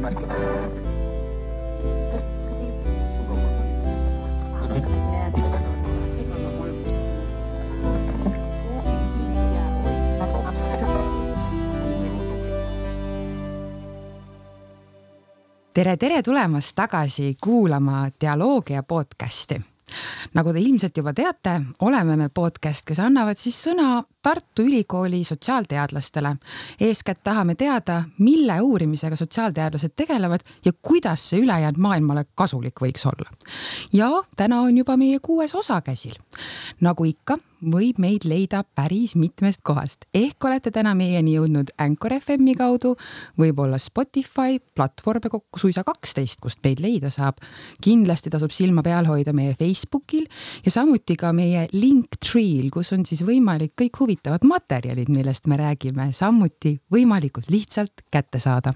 Tere tulemast tagasi kuulama Dialoogia podcasti. Nagu te ilmselt juba teate, oleme me podcast, kes annavad siis sõna Tartu Ülikooli sotsiaalteadlastele. Eeskätt tahame teada, mille uurimisega sotsiaalteadlased tegelevad ja kuidas see ülejäänud maailmale kasulik võiks olla. Ja täna on juba meie 6. osa käsil. Nagu ikka, võib meid leida päris mitmest kohast. Ehk olete täna meieni jõudnud Anchor FM-i kaudu, võib-olla Spotify, platvorme kokku suisa 12, kust meid leida saab. Kindlasti tasub silma peal hoida meie Facebookil ja samuti ka meie Linktree'l, kus on siis võimalik kõik huvitavad materjalid, millest me räägime, samuti võimalikult lihtsalt kätte saada.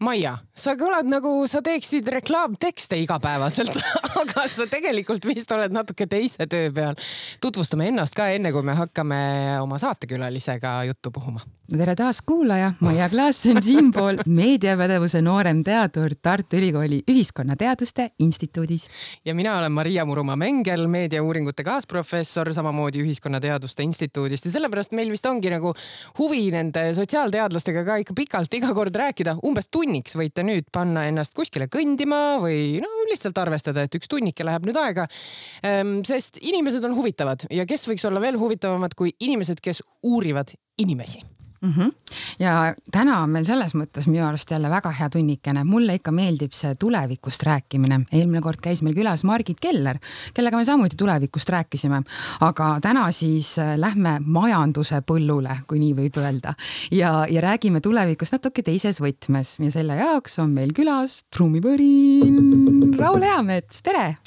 Maia, sa kõlad nagu sa teeksid reklaamtekste igapäevaselt, aga sa tegelikult vist oled natuke teise töö peal. Tutvustame ennast ka enne, kui me hakkame oma saatekülalisega juttu puhuma. Tere taas kuulaja, Maia Klaas on siinpool meediapädevuse noorem teadur Tartu Ülikooli Ühiskonnateaduste Instituudis. Ja mina olen Maria Murumaa-Mengel, meediauuringute kaasprofessor, samamoodi Ühiskonnateaduste Instituudist. Ja sellepärast meil vist ongi nagu huvi nende sotsiaalteadlastega ka ikka pikalt iga kord rääkida. Umbes tunniks võite nüüd panna ennast kuskile kõndima või lihtsalt arvestada, et üks tunnike läheb nüüd aega. Sest inimesed on huvitavad ja kes võiks olla veel huvitavamad kui inimesed, kes uurivad inimesi. Ja täna on meil selles mõttes minu arust jälle väga hea tunnikene. Mulle ikka meeldib see tulevikust rääkimine. Eelmine kord käis meil külas Margit Keller, kellega me samuti tulevikust rääkisime. Aga täna siis lähme majanduse põllule, kui nii võib öelda. Ja räägime tulevikust natuke teises võtmes. Ja selle jaoks on meil külas trummipõrin Raul Eamets. Tere!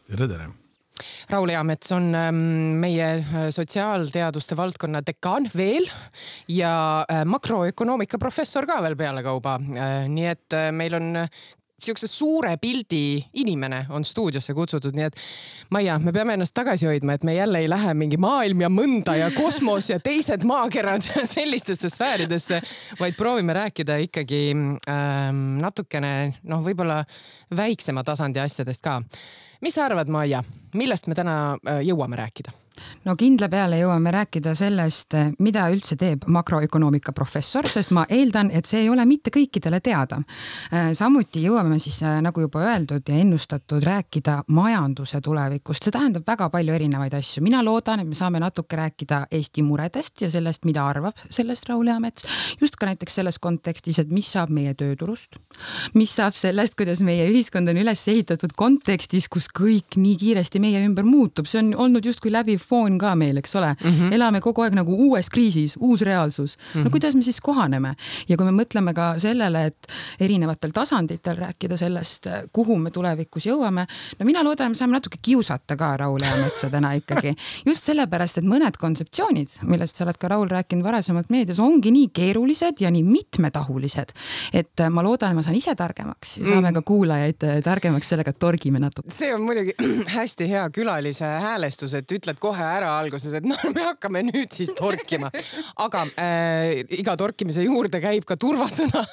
Tere! Raul Eamets on meie sotsiaalteaduste valdkonna dekaan veel ja makroökonoomika professor ka veel peale kauba. Nii et meil on siukse suure pildi inimene on stuudiosse kutsutud, nii et Maia, me peame ennast tagasi hoidma, et me jälle ei lähe mingi maailm ja mõnda ja kosmos ja teised maakerad sellistesse sfääridesse, vaid proovime rääkida ikkagi natukene, võib-olla väiksema tasandi asjadest ka. Mis sa arvad, Maia, millest me täna jõuame rääkida? No kindla peale jõuame rääkida sellest, mida üldse teeb makroökonoomika professor, sest ma eeldan, et see ei ole mitte kõikidele teada. Samuti jõuame siis, nagu juba öeldud ja ennustatud, rääkida majanduse tulevikust. See tähendab väga palju erinevaid asju. Mina loodan, et me saame natuke rääkida Eesti muredest ja sellest, mida arvab sellest Raul Eamets. Just ka näiteks selles kontekstis, et mis saab meie tööturust, mis saab sellest, kuidas meie ühiskond on üles ehitatud kontekstis, kus kõik nii kiiresti meie ümber muutub. See on olnud justkui läbi foon ka meil, eks ole. Elame kogu aeg nagu uues kriisis, uus reaalsus. No kuidas me siis kohaneme? Ja kui me mõtleme ka sellele, et erinevatel tasanditel rääkida sellest, kuhu me tulevikus jõuame, no mina loodan, me saame natuke kiusata ka Raul Eametsa täna ikkagi. Just sellepärast, et mõned kontseptsioonid, millest sa oled ka Raul rääkinud varasemalt meedias, ongi nii keerulised ja nii mitmetahulised, et ma loodan, et ma saan ise targemaks ja saame ka kuulajaid targemaks sellega, et torgime natuke. See on muidugi hästi hea külalise häälestus, et ütled kohe ära alguses, et me hakkame nüüd siis torkima. Aga iga torkimise juurde käib ka turvasõna.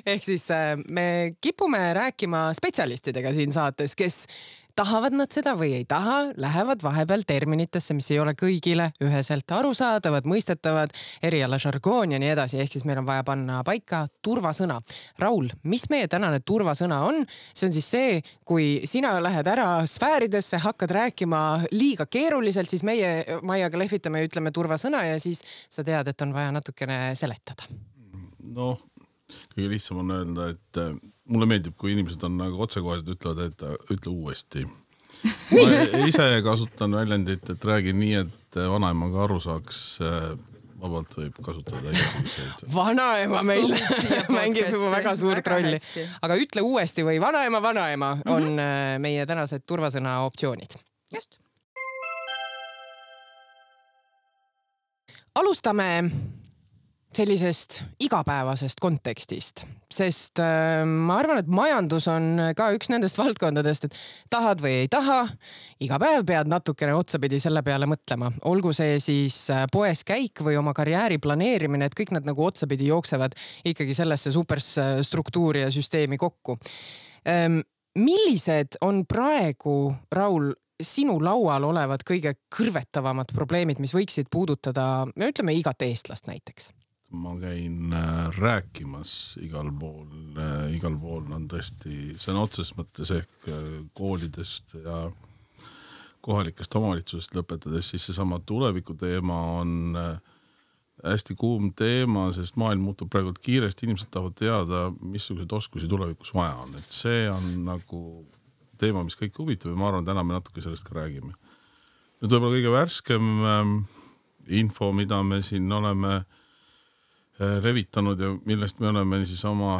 Ehk siis me kipume rääkima spetsialistidega siin saates, kes tahavad nad seda või ei taha, lähevad vahepeal terminitesse, mis ei ole kõigile üheselt arusaadavad, mõistetavad, eriala žargoon ja nii edasi. Ehk siis meil on vaja panna paika turvasõna. Raul, mis meie tänane turvasõna on? See on siis see, kui sina lähed ära sfääridesse, hakkad rääkima liiga keeruliselt, siis meie Maiaga lehvitame ja ütleme turvasõna ja siis sa tead, et on vaja natukene seletada. Kõige lihtsam on öelda, et mulle meeldib, kui inimesed on nagu otsekohesed ütlevad, et ütle uuesti. Ma ise kasutan väljendit, et räägin nii, et vanaema ka aru saaks, vabalt võib kasutada. Vanaema meil mängib juba väga suurt rolli. Aga ütle uuesti või vanaema on meie tänased turvasõna optsioonid. Just. Alustame sellisest igapäevasest kontekstist, sest ma arvan, et majandus on ka üks nendest valdkondadest, et tahad või ei taha, iga päev pead natukene otsapidi selle peale mõtlema. Olgu see siis poes käik või oma karjääri planeerimine, et kõik nad nagu otsapidi jooksevad ikkagi sellesse superstruktuuri ja süsteemi kokku. Millised on praegu, Raul, sinu laual olevad kõige kõrvetavamad probleemid, mis võiksid puudutada, ütleme, igat eestlast näiteks? Ma käin rääkimas igal pool on tõesti, see on otseses mõttes ehk koolidest ja kohalikest omavalitsusest lõpetades, siis seesama tuleviku teema on hästi kuum teema, sest maailm muutub praegu kiiresti, inimesed tahavad teada, missugused oskusi tulevikus vaja on. Et see on nagu teema, mis kõik huvitab ja ma arvan, täna me natuke sellest ka räägime. Nüüd võib-olla kõige värskem info, mida me siin oleme levitanud ja millest me oleme siis oma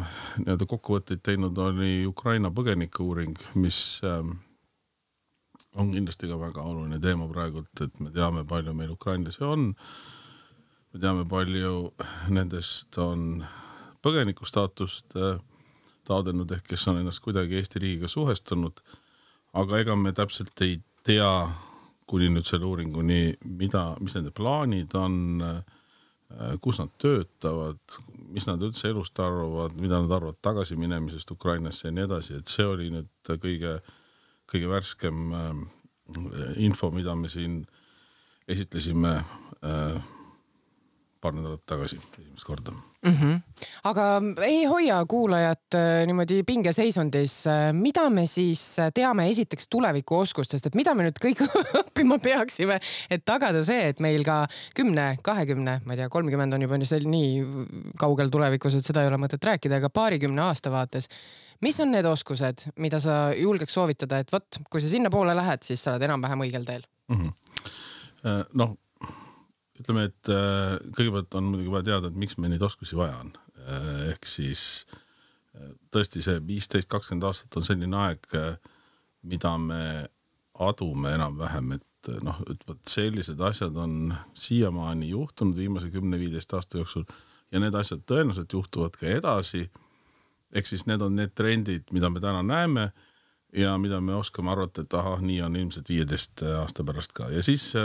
kokkuvõtteid teinud, oli Ukraina põgenike uuring, mis on kindlasti ka väga oluline teema praegult, et me teame, palju meil ukrainlasi on. Me teame, palju nendest on põgeniku staatust taodenud ehk kes on ennast kuidagi Eesti riigiga suhestunud, aga ega me täpselt ei tea, kuni nüüd selle uuringuni, mis nende plaanid on, kus nad töötavad, mis nad üldse elust arvavad, mida nad arvavad tagasi minemisest Ukrainasse ja nii edasi, et see oli nüüd kõige värskem info, mida me siin esitlesime paar nädalat tagasi esimest korda. Aga ei hoia kuulajat niimoodi pingeseisundis. Mida me siis teame esiteks tuleviku oskustest, et mida me nüüd kõik õppima peaksime, et tagada see, et meil ka 10, 20, ma ei tea, 30 on juba nii kaugel tulevikus, et seda ei ole mõtet rääkida, aga 20 aasta vaates. Mis on need oskused, mida sa julgeks soovitada, et võt, kui sa sinna poole lähed, siis sa oled enam-vähem õigel teel? Ütleme, et kõigepealt on muidugi vaja teada, et miks me neid oskusi vaja on. Ehk siis tõesti see 15-20 aastat on selline aeg, mida me adume enam-vähem, et sellised asjad on siiamaani juhtunud viimase 10-15 aasta jooksul ja need asjad tõenäoliselt juhtuvad ka edasi. Ehk siis need on need trendid, mida me täna näeme ja mida me oskame arvata, et nii on ilmselt 15 aasta pärast ka. Ja siis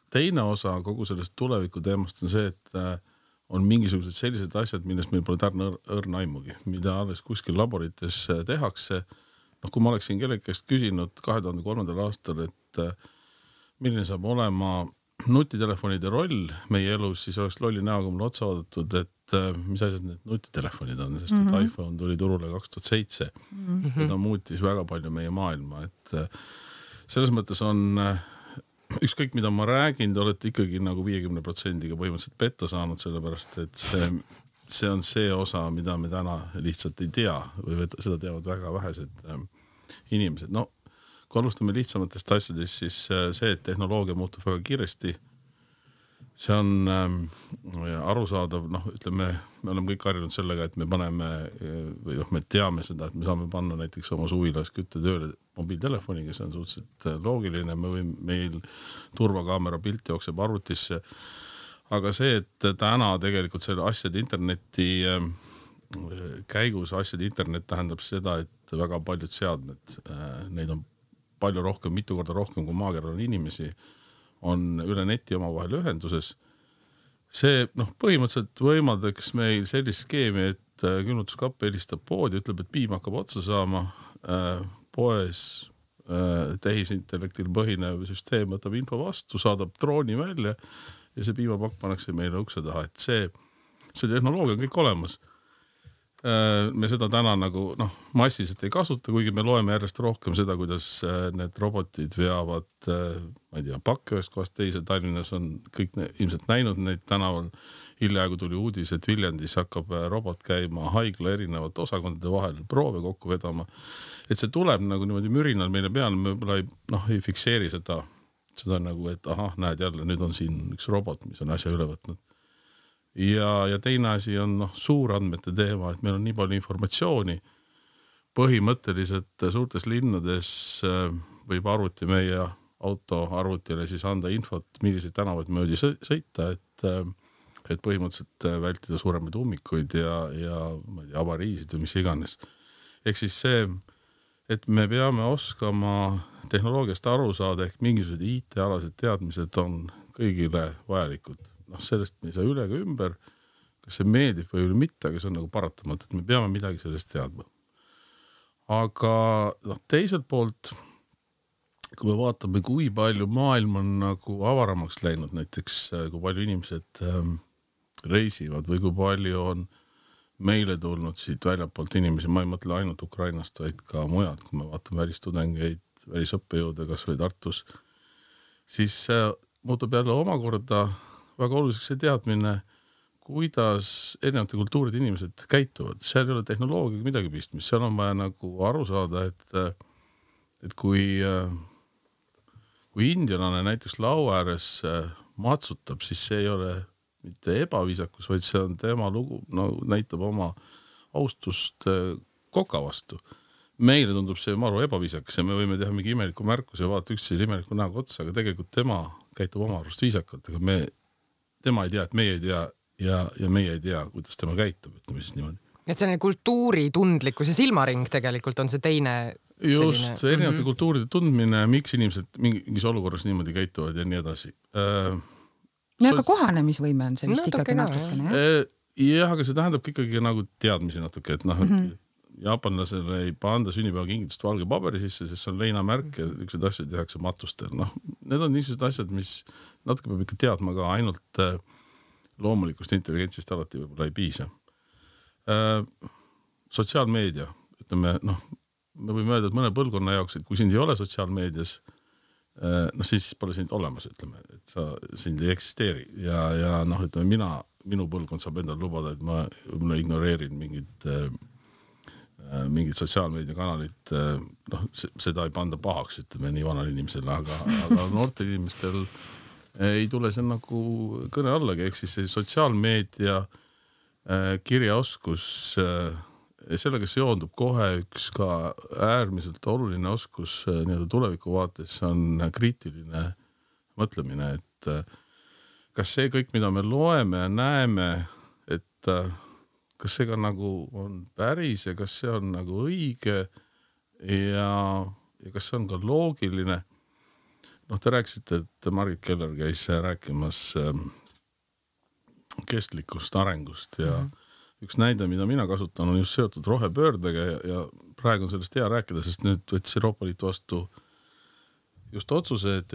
teine osa kogu sellest tuleviku teemast on see, et on mingisugused sellised asjad, millest meil pole tärne õrna aimugi, mida alles kuskil laborites tehakse. Kui ma oleksin kellegi käest küsinud 2003. aastal, et milline saab olema nutitelefonide roll meie elus, siis oleks lolli näoga mulle otsa vaadatud, et mis asjad need nutitelefonid on, sest et iPhone tuli turule 2007. Ja ta muutis väga palju meie maailma, et selles mõttes on ükskõik, mida ma räägin, te olete ikkagi nagu 50%-ga põhimõtteliselt petta saanud, sellepärast, et see on see osa, mida me täna lihtsalt ei tea või seda teavad väga vähesed inimesed. Kui alustame lihtsamatest asjadest, siis see, et tehnoloogia muutub väga kiiresti, see on arusaadav, ütleme, me oleme kõik harjunud sellega, et me paneme või me teame seda, et me saame panna näiteks oma suvilas kütte tööle mobiiltelefoniga, see on suhteliselt loogiline, meil turvakaamera pilt jookseb arvutisse, aga see, et täna tegelikult selle asjade interneti käigus asjade internet tähendab seda, et väga paljud seadmed, neid on palju rohkem, mitu korda rohkem kui maakeral on inimesi, on üle neti oma vahel ühenduses. See põhimõtteliselt võimaldaks meil sellist skeemi, et külmutuskapp helistab poodi, ütleb, et piim hakkab otsa saama, poes tehisintellektil põhinev süsteem võtab info vastu, saadab drooni välja ja see piimapakk pannakse meile ukse taha, et see tehnoloogia on kõik olemas. Me seda täna massiliselt ei kasuta, kuigi me loeme järjest rohkem seda, kuidas need robotid veavad, ma ei tea, pakke ühest kohast teise. Tallinnas on kõik ilmselt näinud neid tänaval. Hiljaaegu tuli uudis, et Viljandis hakkab robot käima haigla erinevate osakondade vahel proove kokku vedama. Et see tuleb niimoodi mürinal meile peale, me võib-olla ei fikseeri seda et näed jälle, nüüd on siin üks robot, mis on asja üle võtnud. Ja teine asi on suurandmete teema, et meil on nii palju informatsiooni. Põhimõtteliselt suurtes linnades võib arvuti meie auto arvutile siis anda infot, milliseid tänavaid möödi sõita, et et põhimõtteliselt vältida suuremaid ummikuid ja ma ei tea, avariisid või mis iganes. Ehk siis see, et me peame oskama tehnoloogiast aru saada, ehk mingisugused IT-alased teadmised on kõigile vajalikud. Noh, sellest me ei saa üle ega ümber, kas see meeldib või mitte, aga see on nagu paratamatu, et me peame midagi sellest teadma. Aga teiselt poolt, kui me vaatame, kui palju maailm on nagu avaramaks läinud, näiteks kui palju inimesed reisivad või kui palju on meile tulnud siit väljapoolt inimesi, ma ei mõtle ainult Ukrainast, vaid ka mujalt, kui me vaatame välistudengeid, välisõppejõude kas või Tartus, siis muutub jälle omakorda väga oluliseks see teadmine, kuidas erinevate kultuuride inimesed käituvad. Seal ei ole tehnoloogiaga midagi pistmist, seal on vaja nagu aru saada, et kui indialane näiteks laua ääres matsutab, siis see ei ole mitte ebaviisakus, vaid see on tema lugu, näitab oma austust koka vastu. Meile tundub see maru ebaviisakas ja me võime teha mingi imeliku märkuse ja vaata üksteise imeliku näoga otsa, aga tegelikult tema käitub oma arust viisakalt, aga tema ei tea, et meie ei tea ja meie ei tea, kuidas tema käitub, ütleme siis niimoodi. Et selline kultuuritundlikkus ja silmaring tegelikult on see teine just, see erinevate kultuuride tundmine, miks inimesed mingis olukorras niimoodi käituvad ja nii edasi. Aga kohanemisvõime on see vist ikkagi natukene, jah? Jah, aga see tähendab ikkagi nagu teadmisi natuke, et jaapanlasele ei panda sünnipäevakingitust valge paberi sisse, sest see on leinamärk ja üksid asjad tehakse matustel. Need on niisugused asjad, mis natuke peab ikka teadma ka, ainult loomulikust intelligentsist alati võib-olla ei piisa. Sotsiaalmeedia, ütleme, me võime öelda, et mõne põlvkonna jaoks, et kui sind ei ole sotsiaalmeedias, siis pole sind olemas, ütleme, et sind ei eksisteeri ja ütleme, minu põlvkond saab endale lubada, et ma ignoreerin mingid sotsiaalmeediakanalit, seda ei panda pahaks, ütleme nii vanal inimesele, aga noortel inimestel ei tule see nagu kõne allagi, ehk siis see sotsiaalmeedia kirjaoskus, sellega seondub kohe üks ka äärmiselt oluline oskus tuleviku vaates, on kriitiline mõtlemine, et kas see kõik, mida me loeme ja näeme, et kas see ka nagu on päris ja kas see on nagu õige ja kas see on ka loogiline. Te rääkisite, et Margit Keller käis rääkimas kestlikust arengust ja üks näide, mida mina kasutan, on just seotud rohepöördega ja praegu on sellest hea rääkida, sest nüüd võttis Euroopa Liit vastu just otsused,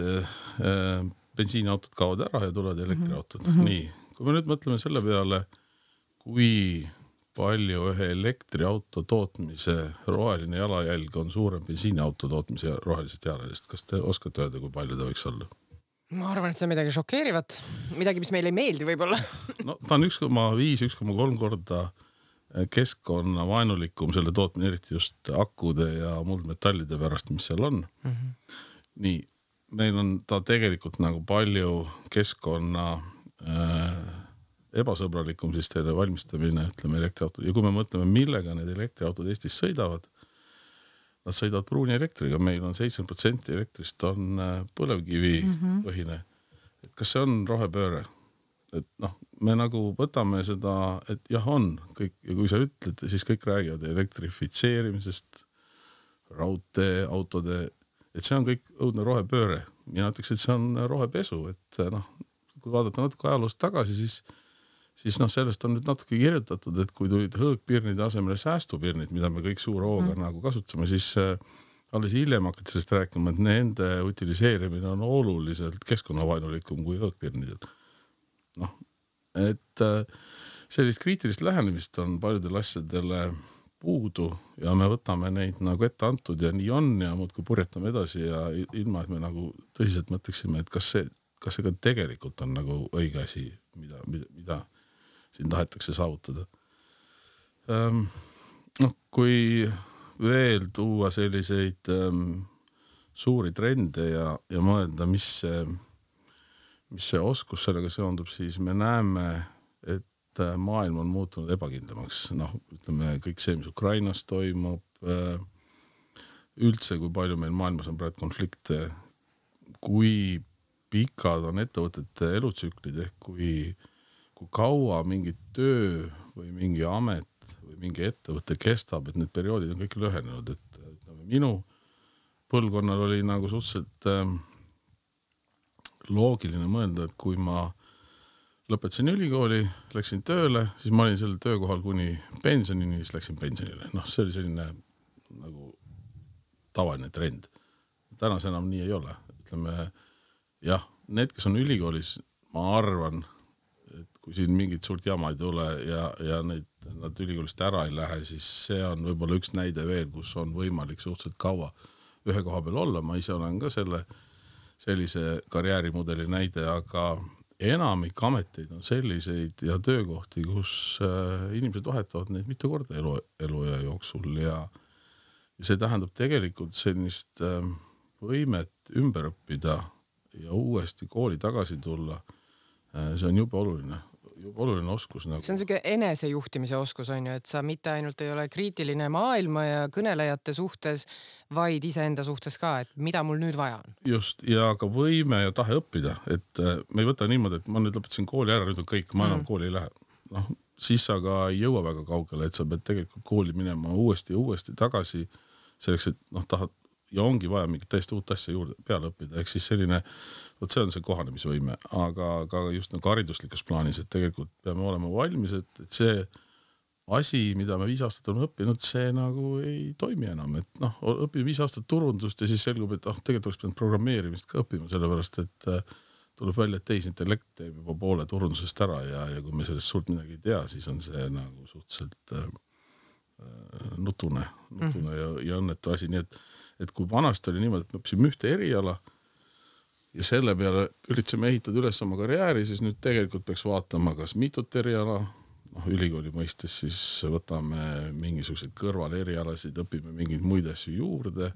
bensiiniautod kaovad ära ja tulevad elektriautod. Nii, kui me nüüd mõtleme selle peale, kui palju ühe elektriauto tootmise roheline jalajälg on suurem bensiiniauto tootmise rohelisest jalajäljest. Kas te oskate öelda, kui palju ta võiks olla? Ma arvan, et see on midagi šokeerivat. Midagi, mis meile ei meeldi võib-olla. Ta on 1,5–1,3 korda keskkonna vaenulikum selle tootmine, eriti just akude ja muldmetallide pärast, mis seal on. Nii, meil on ta tegelikult nagu palju keskkonna ebasõbralikum siis teile valmistamine, ütleme elektriautod. Ja kui me mõtleme, millega need elektriautod Eestis sõidavad, nad sõidavad pruuni elektriga, meil on 70% elektrist on põlevkivi põhine. Et kas see on rohepööre? Et me nagu võtame seda, et jah on kõik, ja kui sa ütled, siis kõik räägivad elektrifitseerimisest, raudtee, autode, et see on kõik õudne rohepööre. Mina ütleks, et see on rohepesu, et kui vaadata natuke ajaloost tagasi, siis sellest on nüüd natuke kirjutatud, et kui tulid hõõgpirnide asemele säästupirnid, mida me kõik suure hooga nagu kasutame, siis alles hiljem hakati sellest rääkima, et nende utiliseerimine on oluliselt keskkonnavaenulikum kui hõõgpirnidel. Et sellist kriitilist lähenemist on paljudel asjadele puudu ja me võtame neid nagu ette antud ja nii on ja muudkui purjetame edasi ja ilma, et me nagu tõsiselt mõtleksime, et kas see ka tegelikult on nagu õige asi, mida siin tahetakse saavutada. Kui veel tuua selliseid suuri trende ja mõelda, mis see oskus sellega seondub, siis me näeme, et maailm on muutunud ebakindlamaks. Ütleme, kõik see, mis Ukrainas toimub, üldse, kui palju meil maailmas on praegu konflikte, kui pikad on ettevõtete elutsüklid ehk kui kui kaua mingi töö või mingi amet või mingi ettevõte kestab, et need perioodid on kõik lühenenud, et minu põlvkonnal oli nagu suhteliselt loogiline mõelda, et kui ma lõpetasin ülikooli, läksin tööle, siis ma olin sellel töökohal kuni pensionini, siis läksin pensionile. Noh, see oli selline nagu tavaline trend. Tänas enam nii ei ole. Ütleme, jah, need, kes on ülikoolis, ma arvan, et kui siin mingit suurt jama ei tule ja nad ülikoolist ära ei lähe, siis see on võib-olla üks näide veel, kus on võimalik suhteliselt kaua ühe koha peal olla. Ma ise olen ka sellise karjäärimudeli näide, aga enamik ameteid on selliseid ja töökohti, kus inimesed vahetavad neid mitu korda eluea jooksul ja see tähendab tegelikult sellist võimet ümber õppida ja uuesti kooli tagasi tulla. See on jube oluline oskus. Nagu. See on selline enesejuhtimise oskus, on ju, et sa mitte ainult ei ole kriitiline maailma ja kõnelejate suhtes, vaid iseenda suhtes ka, et mida mul nüüd vaja on. Just, ja ka võime ja tahe õppida, et me ei võta niimoodi, et ma nüüd lõpetasin kooli ära, nüüd on kõik, ma enam kooli ei lähe. Noh, siis sa ka ei jõua väga kaugele, et sa pead tegelikult kooli minema uuesti tagasi selleks, et tahad ja ongi vaja mingit täiesti uut asja juurde peale õppida. Ehk siis selline, see on see kohanemisvõime, aga ka just nagu hariduslikus plaanis, et tegelikult peame olema valmis, et see asi, mida me 5 aastat on õppinud, see nagu ei toimi enam. Et õpime 5 aastat turundust ja siis selgub, et tegelikult oleks pidanud programmeerimist ka õppima, sellepärast, et tuleb välja, et tehisintellekt teeb juba poole turundusest ära ja kui me sellest suurt midagi ei tea, siis on see nagu suhteliselt nutune ja õnnetu asi. Nii et kui vanasti oli niimoodi, et me õppisime ühte eriala ja selle peale üritasime ehitada üles oma karjääri, siis nüüd tegelikult peaks vaatama, kas mitut eriala, ülikooli mõistes siis võtame mingisuguseid kõrval erialasid, õpime mingeid muid asju juurde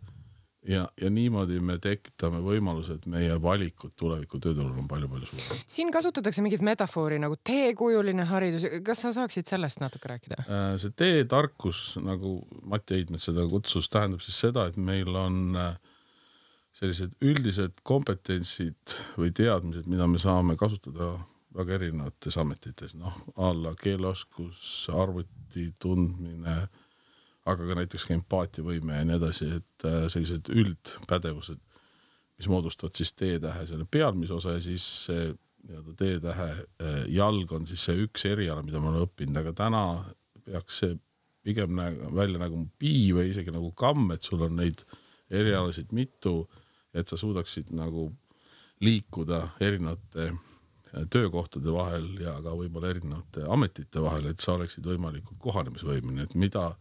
ja niimoodi me tekitame võimalused, meie valikud tuleviku tööturul on palju suurem. Siin kasutatakse mingit metafoori nagu teekujuline haridus. Kas sa saaksid sellest natuke rääkida? See teetarkus, nagu Mati Heidmet seda kutsus, tähendab siis seda, et meil on sellised üldised kompetentsid või teadmised, mida me saame kasutada väga erinevates ametites. Alla keeleoskus, arvuti tundmine, aga ka näiteks empaatiavõime ja nii edasi, et sellised üldpädevused, mis moodustavad siis T-tähe selle pealmise osa ja siis T-tähe jalg on siis see üks eriala, mida ma olen õppinud, aga täna peaks see pigem välja nagu pii või isegi nagu kamm, et sul on neid erialasid mitu, et sa suudaksid nagu liikuda erinevate töökohtade vahel ja ka võib-olla erinevate ametite vahel, et sa oleksid võimalikult kohanemisvõimeline, et mida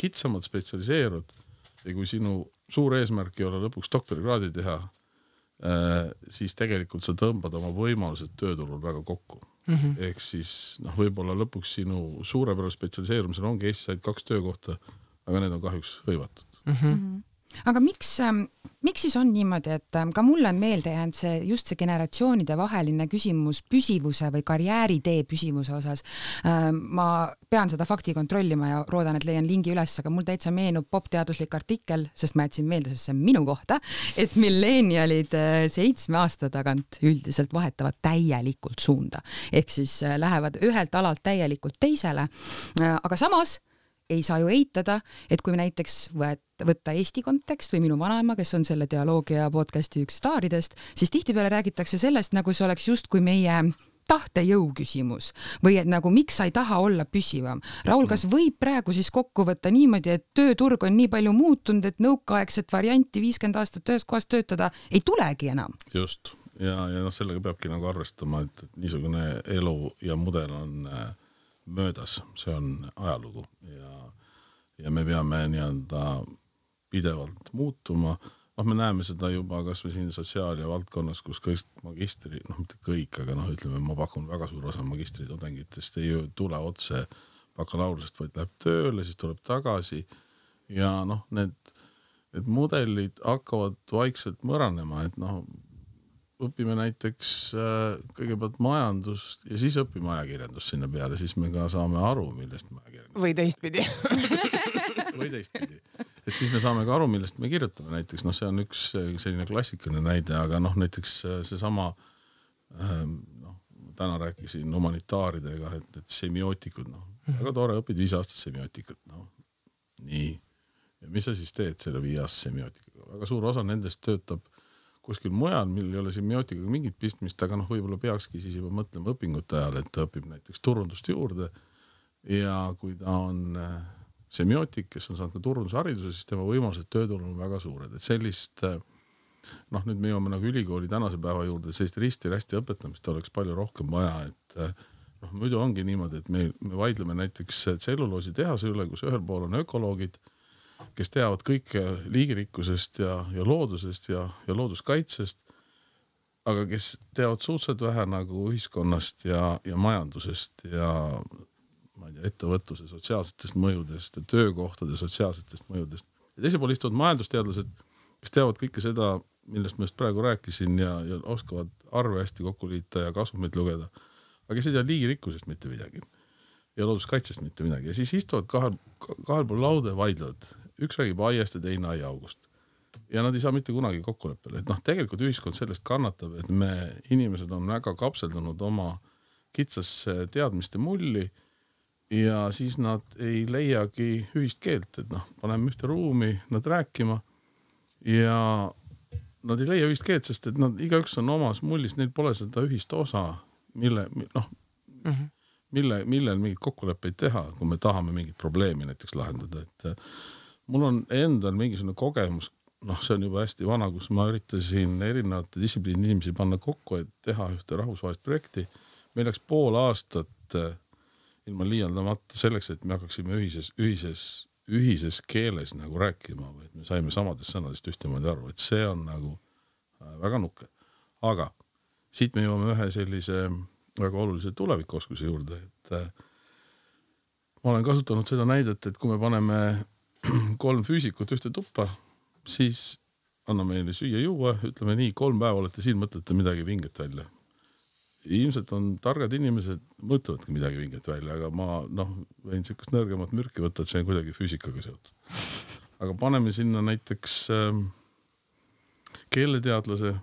kitsamalt spetsialiseerud ja kui sinu suur eesmärk ei ole lõpuks doktorikraadi teha, siis tegelikult sa tõmbad oma võimalused tööturul väga kokku. Ehk siis võib-olla lõpuks sinu suurepärase spetsialiseerumisel ongi Eestis ainult 2 töökohta, aga need on kahjuks hõivatud. Aga miks siis on niimoodi, et ka mulle on meelde jäänud just see generatsioonide vaheline küsimus püsivuse või karjääritee püsivuse osas. Ma pean seda fakti kontrollima ja loodan, et leian lingi üles, aga mul täitsa meenub popteaduslik artikkel, sest ma jätsin meelde, sest see on minu kohta, et millennialid 7 aasta tagant üldiselt vahetavad täielikult suunda. Ehk siis lähevad ühelt alalt täielikult teisele, aga samas ei saa ju eitada, et kui näiteks võtta Eesti kontekst või minu vanaema, kes on selle dialoogia podcasti üks staaridest, siis tihtipeale räägitakse sellest, nagu see oleks just kui meie tahtejõu küsimus või et nagu miks sa ei taha olla püsivam. Raul, kas võib praegu siis kokku võtta niimoodi, et tööturg on nii palju muutunud, et nõukaaegset varianti 50 aastat ühes kohas töötada ei tulegi enam? Just. Ja sellega peabki nagu arvestama, et niisugune elu ja mudel on möödas, see on ajalugu ja me peame pidevalt muutuma. Me näeme seda juba kas või siin sotsiaal- ja valdkonnas, kus kõik magistri, mitte kõik, aga ütleme, ma pakun väga suur osa magistritudengitest ei tule otse bakalaureusest, vaid läheb tööle, siis tuleb tagasi ja need mudelid hakkavad vaikselt mõranema, et õpime näiteks kõigepealt majandust ja siis õpime ajakirjandust sinna peale, siis me ka saame aru, millest me ajakirjandust. Või teistpidi. Või teistpidi. Et siis me saame ka aru, millest me kirjutame näiteks. See on üks selline klassikaline näide, aga näiteks see sama täna rääkisin humanitaaridega, et semiootikud, väga tore, õpid 5 aastat semiootikat, nii. Ja mis sa siis teed selle 5 aastat semiootikaga? Väga suur osa nendest töötab kuskil mujal, mil ei ole semiootikaga mingit pistmist, aga võib-olla peakski siis juba mõtlema õpingute ajal, et ta õpib näiteks turundust juurde ja kui ta on semiootik, kes on saanud ka turundushariduse, siis tema võimalused tööturul on väga suured, et sellist nüüd me jõuame nagu ülikooli tänase päeva juurde, sellist risti-rästi õpetamist oleks palju rohkem vaja, et muidu ongi niimoodi, et me vaidleme näiteks tselluloosi tehase üle, kus ühel pool on ökoloogid, kes teavad kõike liigirikkusest ja loodusest ja looduskaitsest, aga kes teavad suhteliselt vähe nagu ühiskonnast ja majandusest ja ettevõtluse sotsiaalsetest mõjudest ja töökohtade sotsiaalsetest mõjudest. Ja teise pool istuvad majandusteadlased, kes teavad kõike seda, millest ma just praegu rääkisin ja oskavad arve hästi kokku liita ja kasvumeid lugeda, aga kes ei tea liigirikkusest mitte midagi ja looduskaitsest mitte midagi. Ja siis istuvad kahel pool lauda ja vaidlevad. Üks räägib aiast ja teine aiaaugust. Ja nad ei saa mitte kunagi kokkuleppele. Et tegelikult ühiskond sellest kannatab, et me inimesed on väga kapseldunud oma kitsas teadmiste mulli ja siis nad ei leiagi ühist keelt, et paneme ühte ruumi nad rääkima ja nad ei leia ühist keelt, sest et nad igaüks on omas mullis, neil pole seda ühist osa, millel mingit kokkuleppeid teha, kui me tahame mingit probleemi näiteks lahendada, et mul on endal mingisugune kogemus, see on juba hästi vana, kus ma üritasin erinevate distsipliini inimesi panna kokku, et teha ühte rahvusvahelist projekti. Meil läks pool aastat ilma liialdamata selleks, et me hakkaksime ühises keeles nagu rääkima, et me saime samadest sõnadest ühtemoodi aru, et see on nagu väga nukke. Aga siit me jõuame ühe sellise väga olulise tulevikuoskuse juurde, et ma olen kasutanud seda näidet, et kui me paneme 3 füüsikut ühte tuppa, siis anname meile süüa juua, ütleme nii, 3 päeva olete siin, mõtlete midagi vinget välja. Ilmselt on targad inimesed, mõtlevadki midagi vinget välja, aga ma võin sellist nõrgemat mürki võtta, et see on kuidagi füüsikaga seotud. Aga paneme sinna näiteks keeleteadlase,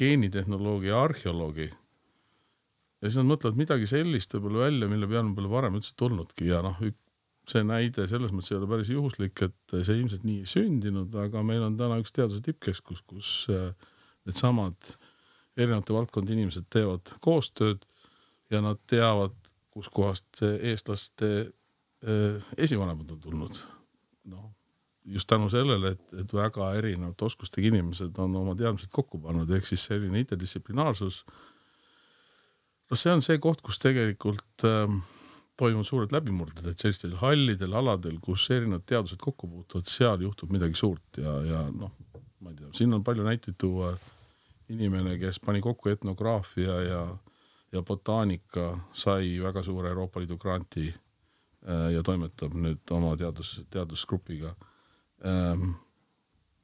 geenitehnoloogia, arheoloogi ja siis nad mõtlevad midagi sellist võib-olla välja, mille peale on palju varem üldse tulnudki ja see näide selles mõttes ei ole päris juhuslik, et see ilmselt nii ei sündinud, aga meil on täna üks teaduse tippkeskus, kus need samad erinevate valdkondi inimesed teevad koostööd ja nad teavad, kus kohast eestlaste esivanemad on tulnud. Just tänu sellele, et väga erinevate oskustega inimesed on oma teadmised kokku pannud, ehk siis selline interdistsiplinaarsus. See on see koht, kus tegelikult toimuvad suured läbimurded, et sellistel hallidel aladel, kus erinevad teadused kokku puutuvad, seal juhtub midagi suurt ja ma ei tea, siin on palju näiteid tuua inimene, kes pani kokku etnograafia ja botaanika, sai väga suure Euroopa Liidu granti ja toimetab nüüd oma teadusgrupiga.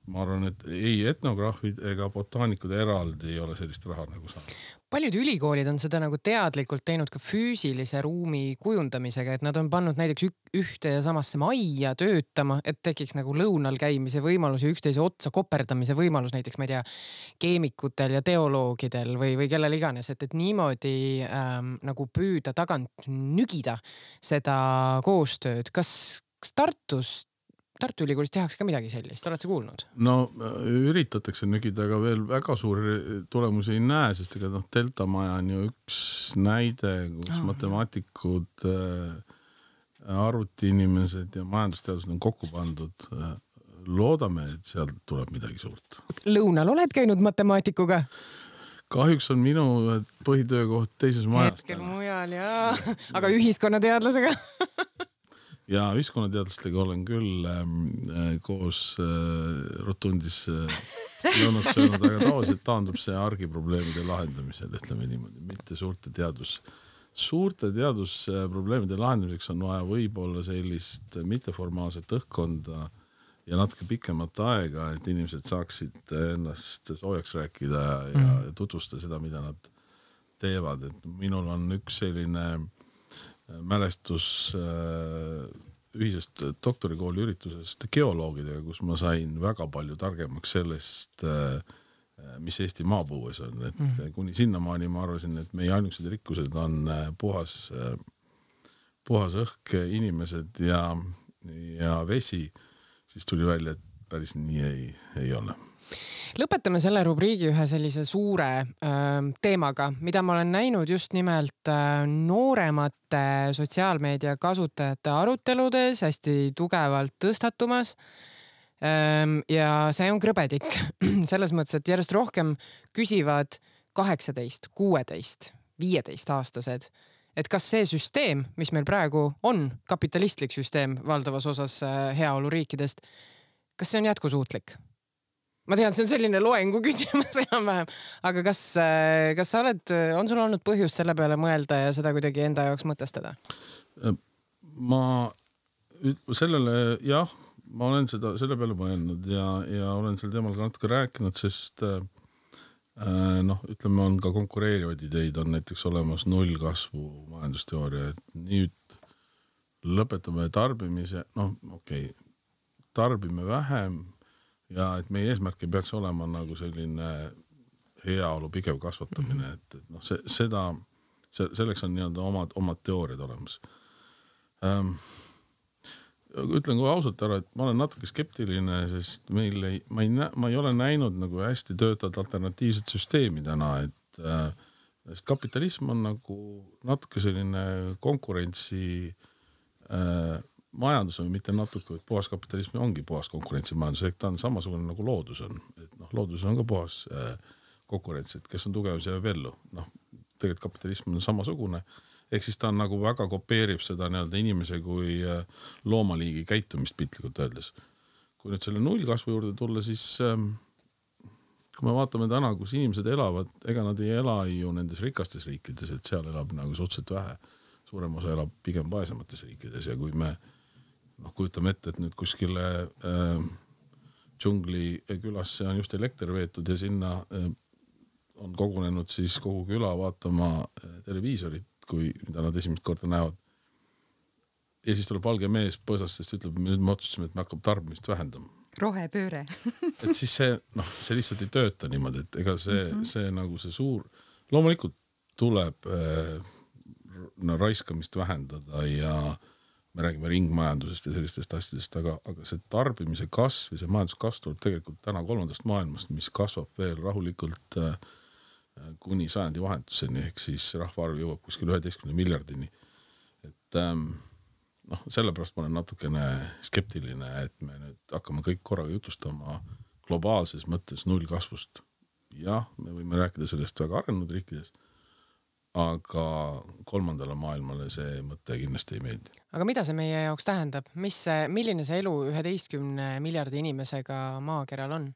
Ma arvan, et ei etnograafid ega botaanikud eraldi ei ole sellist raha nagu saanud. Paljud ülikoolid on seda nagu teadlikult teinud ka füüsilise ruumi kujundamisega, et nad on pannud näiteks ühte ja samasse majja töötama, et tekiks nagu lõunal käimise võimalus ja üksteise otsa koperdamise võimalus näiteks, ma ei tea, keemikutel ja teoloogidel või kellel iganes, et niimoodi nagu püüda tagant nügida seda koostööd. Kas Tartu Ülikoolis tehakse ka midagi sellist, oled sa kuulnud? Üritatakse nügida, aga veel väga suuri tulemusi ei näe, sest ega Delta maja on ju üks näide, kus matemaatikud, arvutiinimesed ja majandusteadused on kokku pandud. Loodame, et sealt tuleb midagi suurt. Lõunal oled käinud matemaatikuga? Kahjuks on minu põhitöökoht teises majas. Hetkel mujal, jaa. Aga ühiskonnateadlasega? Ja ühiskonnateadlastega olen küll koos rotundis lõunat söönud, aga tavaliselt taandub see argiprobleemide lahendamisel, ütleme niimoodi, mitte suurte teadusprobleemide lahendamiseks on vaja võib-olla sellist mitteformaalset õhkkonda ja natuke pikemat aega, et inimesed saaksid ennast soojaks rääkida ja tutvustada seda, mida nad teevad. Et minul on üks selline mälestus ühisest doktorikooli üritusest geoloogidega, kus ma sain väga palju targemaks sellest, mis Eesti maapõues on, et kuni sinnamaani ma arvasin, et meie ainukesed rikkused on puhas õhk, inimesed ja vesi, siis tuli välja, et päris nii ei ole. Lõpetame selle rubriigi ühe sellise suure teemaga, mida ma olen näinud just nimelt nooremate sotsiaalmeedia kasutajate aruteludes hästi tugevalt tõstatumas. Ja see on krõbedik. Selles mõttes, et järjest rohkem küsivad 18, 16, 15 aastased, et kas see süsteem, mis meil praegu on, kapitalistlik süsteem valdavas osas heaoluriikidest, kas see on jätkusuutlik? Ma tean, see on selline loengu küsimus enam-vähem, aga kas sa on sul olnud põhjust selle peale mõelda ja seda kuidagi enda jaoks mõtestada? Ma olen selle peale mõelnud ja olen sel teemal ka natuke rääkinud, sest ütleme, on ka konkureerivaid ideid, on näiteks olemas nullkasvu majandusteooria, et nüüd lõpetame tarbimise, tarbime vähem, ja et meie eesmärk ei peaks olema nagu selline heaolu pigev kasvatamine, et selleks on nii-öelda omad teooriad olemas. Ütlen kui ausalt ära, et ma olen natuke skeptiline, sest ma ei ole näinud nagu hästi töötavad alternatiivset süsteemi täna, et kapitalism on nagu natuke selline konkurentsi majandus on mitte natuke, et puhas kapitalism ongi puhas konkurentsimajandus, ehk ta on samasugune nagu loodus on. Et loodus on ka puhas konkurents, et kes on tugev, see jääb ellu. Tegelikult kapitalism on samasugune, ehk siis ta on nagu väga kopeerib seda nii-öelda inimese kui loomaliigi käitumist piltlikult öeldes. Kui nüüd selle nullkasvu juurde tulla, siis kui me vaatame täna, kus inimesed elavad, ega nad ei ela ju nendes rikastes riikides, et seal elab nagu suhteliselt vähe. Suurem osa elab pigem vaesemates riikides ja kui me kujutame ette, et nüüd kuskile džungli külasse on just elekter veetud ja sinna on kogunenud siis kogu küla vaatama televiisorit, mida nad esimest korda näevad. Ja siis tuleb valge mees põõsast, sest ütleb, nüüd me otsustasime, et me hakkab tarbimist vähendama. Rohepööre. Et siis see lihtsalt ei tööta niimoodi, et ega see nagu see suur, loomulikult tuleb raiskamist vähendada ja me räägime ringmajandusest ja sellistest asjadest, aga see tarbimise kasv ja see majanduskasv tuleb tegelikult täna 3. maailmast, mis kasvab veel rahulikult kuni sajandi vahetuseni, ehk siis rahvaarv jõuab kuskil 11 miljardini. Et sellepärast ma olen natukene skeptiline, et me nüüd hakkame kõik korraga jutustama globaalses mõttes nullkasvust. Jah, me võime rääkida sellest väga arenenud riikides, aga 3. maailmale see mõte kindlasti ei meeldi. Aga mida see meie jaoks tähendab? Milline see elu 11 miljardi inimesega maakeral on?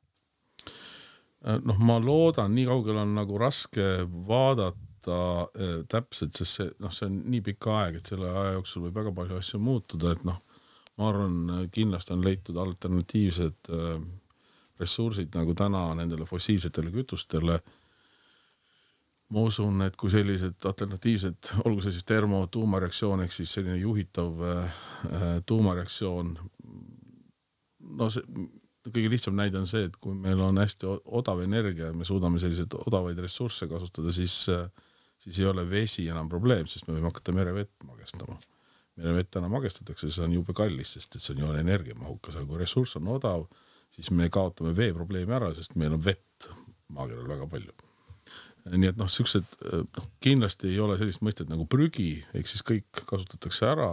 Ma loodan, nii kaugel on nagu raske vaadata täpselt, sest see on nii pikka aeg, et selle aja jooksul võib väga palju asju muutuda, et ma arvan, kindlasti on leitud alternatiivsed ressursid nagu täna nendele fossiilsetele kütustele. Ma usun, et kui sellised alternatiivsed, olgu see siis termo-tuumareaktsioon, ehk siis selline juhitav tuumareaktsioon, kõige lihtsam näide on see, et kui meil on hästi odav energia ja me suudame selliseid odavaid ressursse kasutada, siis ei ole vesi enam probleem, sest me võime hakata merevett magestama. Merevett täna magestatakse, see on jube kallis, sest see on ju energiamahukas, aga kui ressurss on odav, siis me kaotame vee probleemi ära, sest meil on vett maakeral väga palju. Nii et kindlasti ei ole sellist mõistet nagu prügi, ehk siis kõik kasutatakse ära.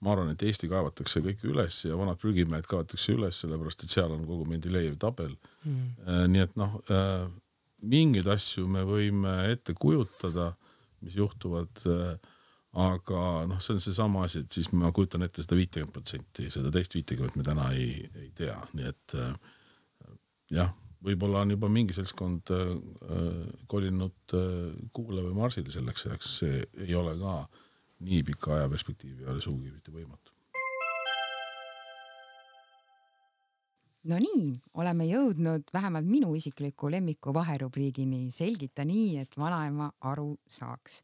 Ma arvan, et Eesti kaevatakse kõik üles ja vanad prügimäed kaevatakse üles, sellepärast, et seal on kogu Mendelejevi tabel. Nii et mingeid asju me võime ette kujutada, mis juhtuvad, aga see on see sama asi, et siis ma kujutan ette seda 50%, seda teist 50% me täna ei tea. Nii et jah, võib-olla on juba mingi seltskond kolinud Kuule või Marsile selleks, see ei ole ka nii pika aja perspektiivi ei ole suugi mitte võimatu. No nii, oleme jõudnud vähemalt minu isikliku lemmiku vaherubriigini Selgita nii, et vanaema aru saaks.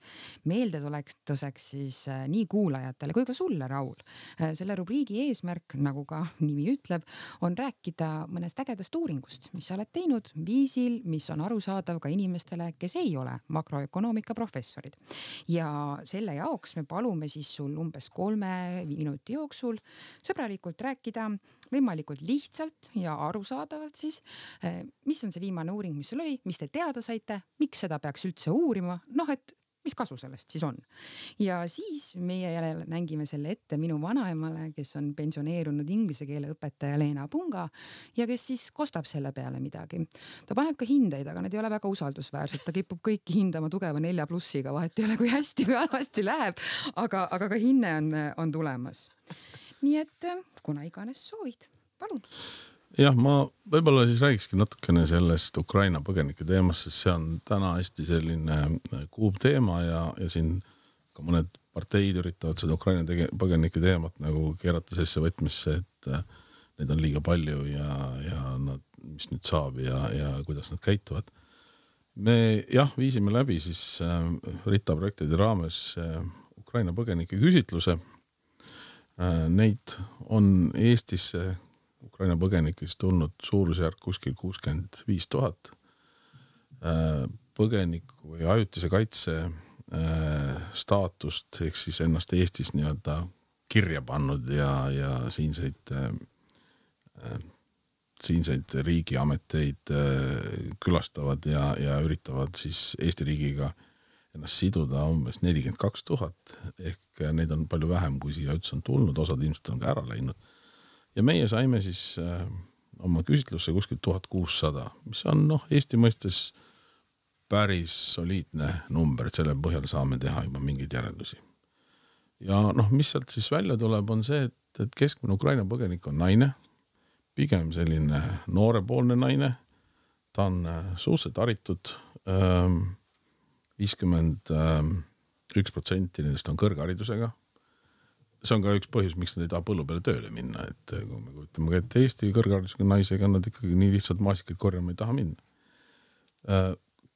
Meeldetuletuseks siis nii kuulajatele kui ka sulle, Raul. Selle rubriigi eesmärk, nagu ka nimi ütleb, on rääkida mõnest ägedast uuringust, mis sa oled teinud viisil, mis on arusaadav ka inimestele, kes ei ole makroökonoomika professorid. Ja selle jaoks me palume siis sul umbes 3 minuti jooksul sõbralikult rääkida võimalikult lihtsalt ja arusaadavalt siis, mis on see viimane uuring, mis sul oli, mis te teada saite, miks seda peaks üldse uurima, et mis kasu sellest siis on. Ja siis meie jälle nängime selle ette minu vanaemale, kes on pensioneerunud inglise keele õpetaja Leena Punga ja kes siis kostab selle peale midagi. Ta paneb ka hindeid, aga need ei ole väga usaldusväärsed, ta kipub kõiki hindama tugeva 4+, vahet ei ole, kui hästi või halvasti läheb, aga ka hinne on tulemas. Nii et kuna iganes soovid, palun. Jah, ma võib-olla siis räägikski natukene sellest Ukraina põgenike teemast, sest see on täna hästi selline kuub teema ja siin ka mõned parteid üritavad seda Ukraina põgenike teemat nagu keerata sellesse võtmesse, et neid on liiga palju ja nad, mis nüüd saab ja kuidas nad käituvad. Me viisime läbi siis RITA projektide raames Ukraina põgenike küsitluse. Neid on Eestisse Ukraina põgenikest tulnud suurusjärk kuskil 65 000 põgeniku või ajutise kaitse staatust ehk siis ennast Eestis nii-öelda kirja pannud ja siinseid riigiameteid külastavad ja üritavad siis Eesti riigiga ennast siduda umbes 42 000 ehk neid on palju vähem, kui siia üldse on tulnud, osad ilmselt on ka ära läinud. Ja meie saime siis oma küsitlusse kuskil 1600, mis on Eesti mõistes päris soliidne number, et selle põhjal saame teha juba mingeid järeldusi. Ja mis sealt siis välja tuleb, on see, et keskmine Ukraina põgenik on naine, pigem selline noorepoolne naine, ta on suhteliselt haritud, 51% nendest on kõrgharidusega. See on ka üks põhjus, miks nad ei taha põllu peale tööle minna, et kui me kujutame, et Eesti kõrgharidusega naisega nad ikkagi nii lihtsalt maasikaid korjama ei taha minna.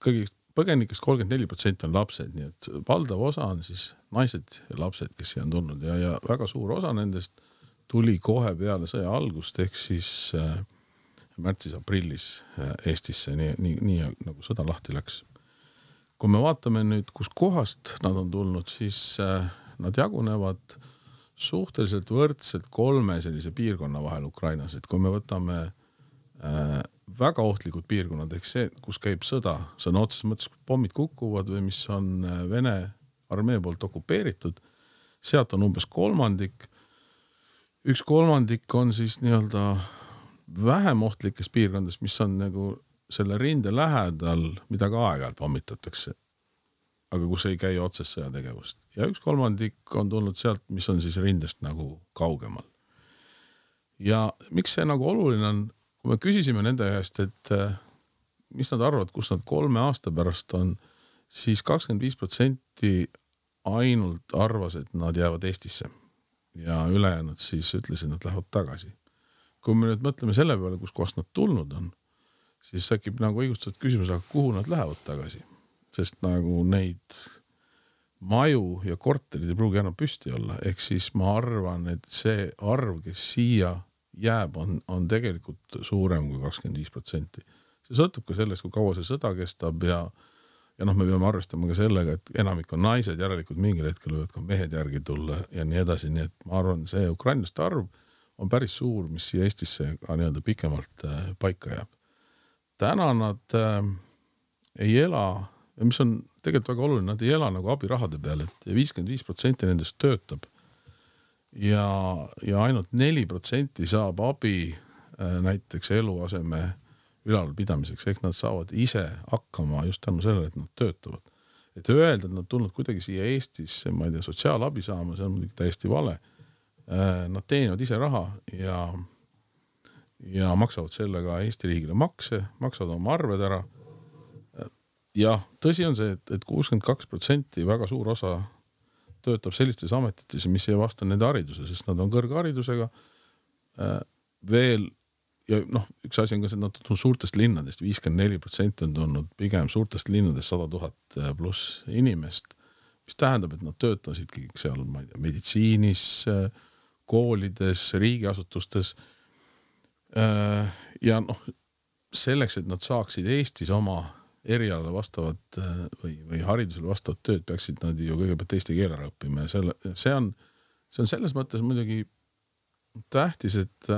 Kõigist põgenikest 34% on lapsed, nii et valdav osa on siis naised ja lapsed, kes siia on tulnud ja väga suur osa nendest tuli kohe peale sõja algust ehk siis märtsis-aprillis Eestisse, nii nagu sõda lahti läks. Kui me vaatame nüüd, kus kohast nad on tulnud, siis nad jagunevad suhteliselt võrdselt 3 sellise piirkonna vahel Ukrainas, et kui me võtame väga ohtlikud piirkonnad, ehk see, kus käib sõda, sõna otseses mõttes, kui pommid kukuvad või mis on Vene armee poolt okupeeritud, sealt on umbes 1/3. 1/3 on siis nii-öelda vähem ohtlikes piirkondades, mis on nagu selle rinde lähedal, mida ka aeg-ajalt pommitatakse, aga kus ei käi otsest sõjategevust. Ja 1/3 on tulnud sealt, mis on siis rindest nagu kaugemal. Ja miks see nagu oluline on, kui me küsisime nende käest, et mis nad arvavad, kus nad 3 aasta pärast on, siis 25% ainult arvas, et nad jäävad Eestisse ja ülejäänud siis ütlesid, et nad lähevad tagasi. Kui me nüüd mõtleme selle peale, kus kohast nad tulnud on, siis äkib nagu õigustatud küsimus, aga kuhu nad lähevad tagasi? Sest nagu neid maju ja korterid ei pruugi enam püsti olla. Ehk siis ma arvan, et see arv, kes siia jääb, on tegelikult suurem kui 25%. See sõltub ka sellest, kui kaua see sõda kestab ja me peame arvestama ka sellega, et enamik on naised, järelikult mingil hetkel võivad ka mehed järgi tulla ja nii edasi. Nii et ma arvan, see ukrainlaste arv on päris suur, mis siia Eestisse ka nii-öelda pikemalt paika jääb. Täna nad ei ela, mis on tegelikult väga oluline, nad ei ela nagu abirahade peale, et 55% nendest töötab ja ainult 4% saab abi näiteks eluaseme ülalpidamiseks, ehk nad saavad ise hakkama just tänu sellele, et nad töötavad. Et öelda, et nad tulnud kuidagi siia Eestisse, ma ei tea, sotsiaalabi saama, see on muidugi täiesti vale. Nad teenivad ise raha ja maksavad sellega Eesti riigile makse, maksavad oma arved ära. Ja tõsi on see, et 62% väga suur osa töötab sellistes ametites, mis ei vasta nende hariduse, sest nad on kõrgharidusega. Veel ja noh, üks asi on ka see, et nad on suurtest linnadest, 54% on tulnud pigem suurtest linnadest 100 000 pluss inimest, mis tähendab, et nad töötasid kõik seal, ma ei tea, meditsiinis, koolides, riigiasutustes. Ja noh, selleks, et nad saaksid Eestis oma erialale vastavat või haridusele vastavat tööd, peaksid nad ju kõigepealt eesti keele ära õppima ja see on selles mõttes muidugi tähtis, et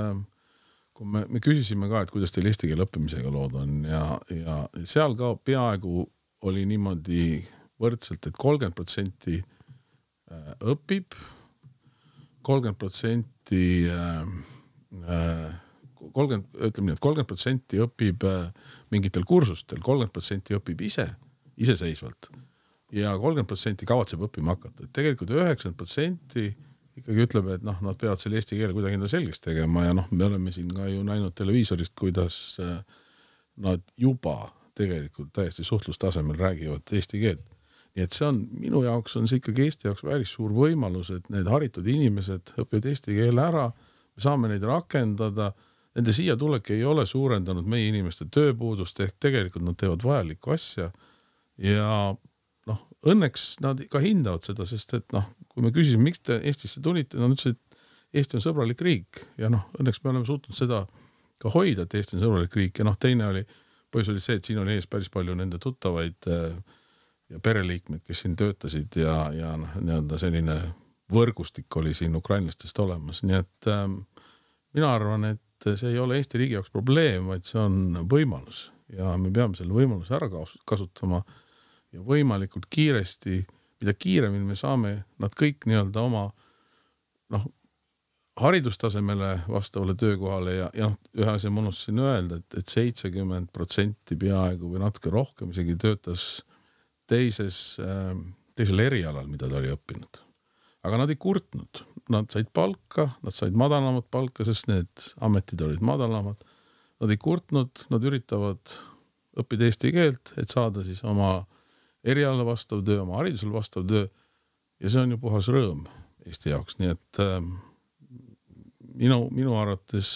kui me küsisime ka, et kuidas teil eesti keele õppimisega lood on ja seal ka peaaegu oli niimoodi võrdselt, et 30% õpib, 30% õpib mingitel kursustel, 30% õpib iseseisvalt ja 30% kavatseb õppima hakata. Et tegelikult 90% ikkagi ütleb, et noh, nad peavad selle eesti keele kuidagi enda selgeks tegema ja noh, me oleme siin ka ju näinud televiisorist, kuidas nad juba tegelikult täiesti suhtlustasemel räägivad eesti keelt. Nii et see on, minu jaoks on see ikkagi Eesti jaoks päris suur võimalus, et need haritud inimesed õpivad eesti keele ära, me saame neid rakendada. Nende siia tulek ei ole suurendanud meie inimeste tööpuudust, ehk tegelikult nad teevad vajalikku asja ja noh, õnneks nad ka hindavad seda, sest et noh, kui me küsisime, miks te Eestisse tulite, nad ütlesid, et Eesti on sõbralik riik ja noh, õnneks me oleme suutnud seda ka hoida, et Eesti on sõbralik riik ja noh, teine põhjus oli see, et siin oli ees päris palju nende tuttavaid ja pereliikmed, kes siin töötasid ja noh, nii-öelda selline võrgustik oli siin ukrainlastest olemas, nii et mina arvan, et see ei ole Eesti riigi jaoks probleem, vaid see on võimalus ja me peame selle võimaluse ära kasutama ja võimalikult kiiresti, mida kiiremini me saame nad kõik nii-öelda oma noh, haridustasemele vastavale töökohale ja noh, ühe asja ma unustasin öelda, et 70% peaaegu või natuke rohkem isegi töötas teisel erialal, mida ta oli õppinud. Aga nad ei kurtnud. Nad said palka, nad said madalamat palka, sest need ametid olid madalamad. Nad ei kurtnud, nad üritavad õppida eesti keelt, et saada siis oma erialale vastav töö, oma haridusele vastav töö. Ja see on ju puhas rõõm Eesti jaoks. Nii et minu arvates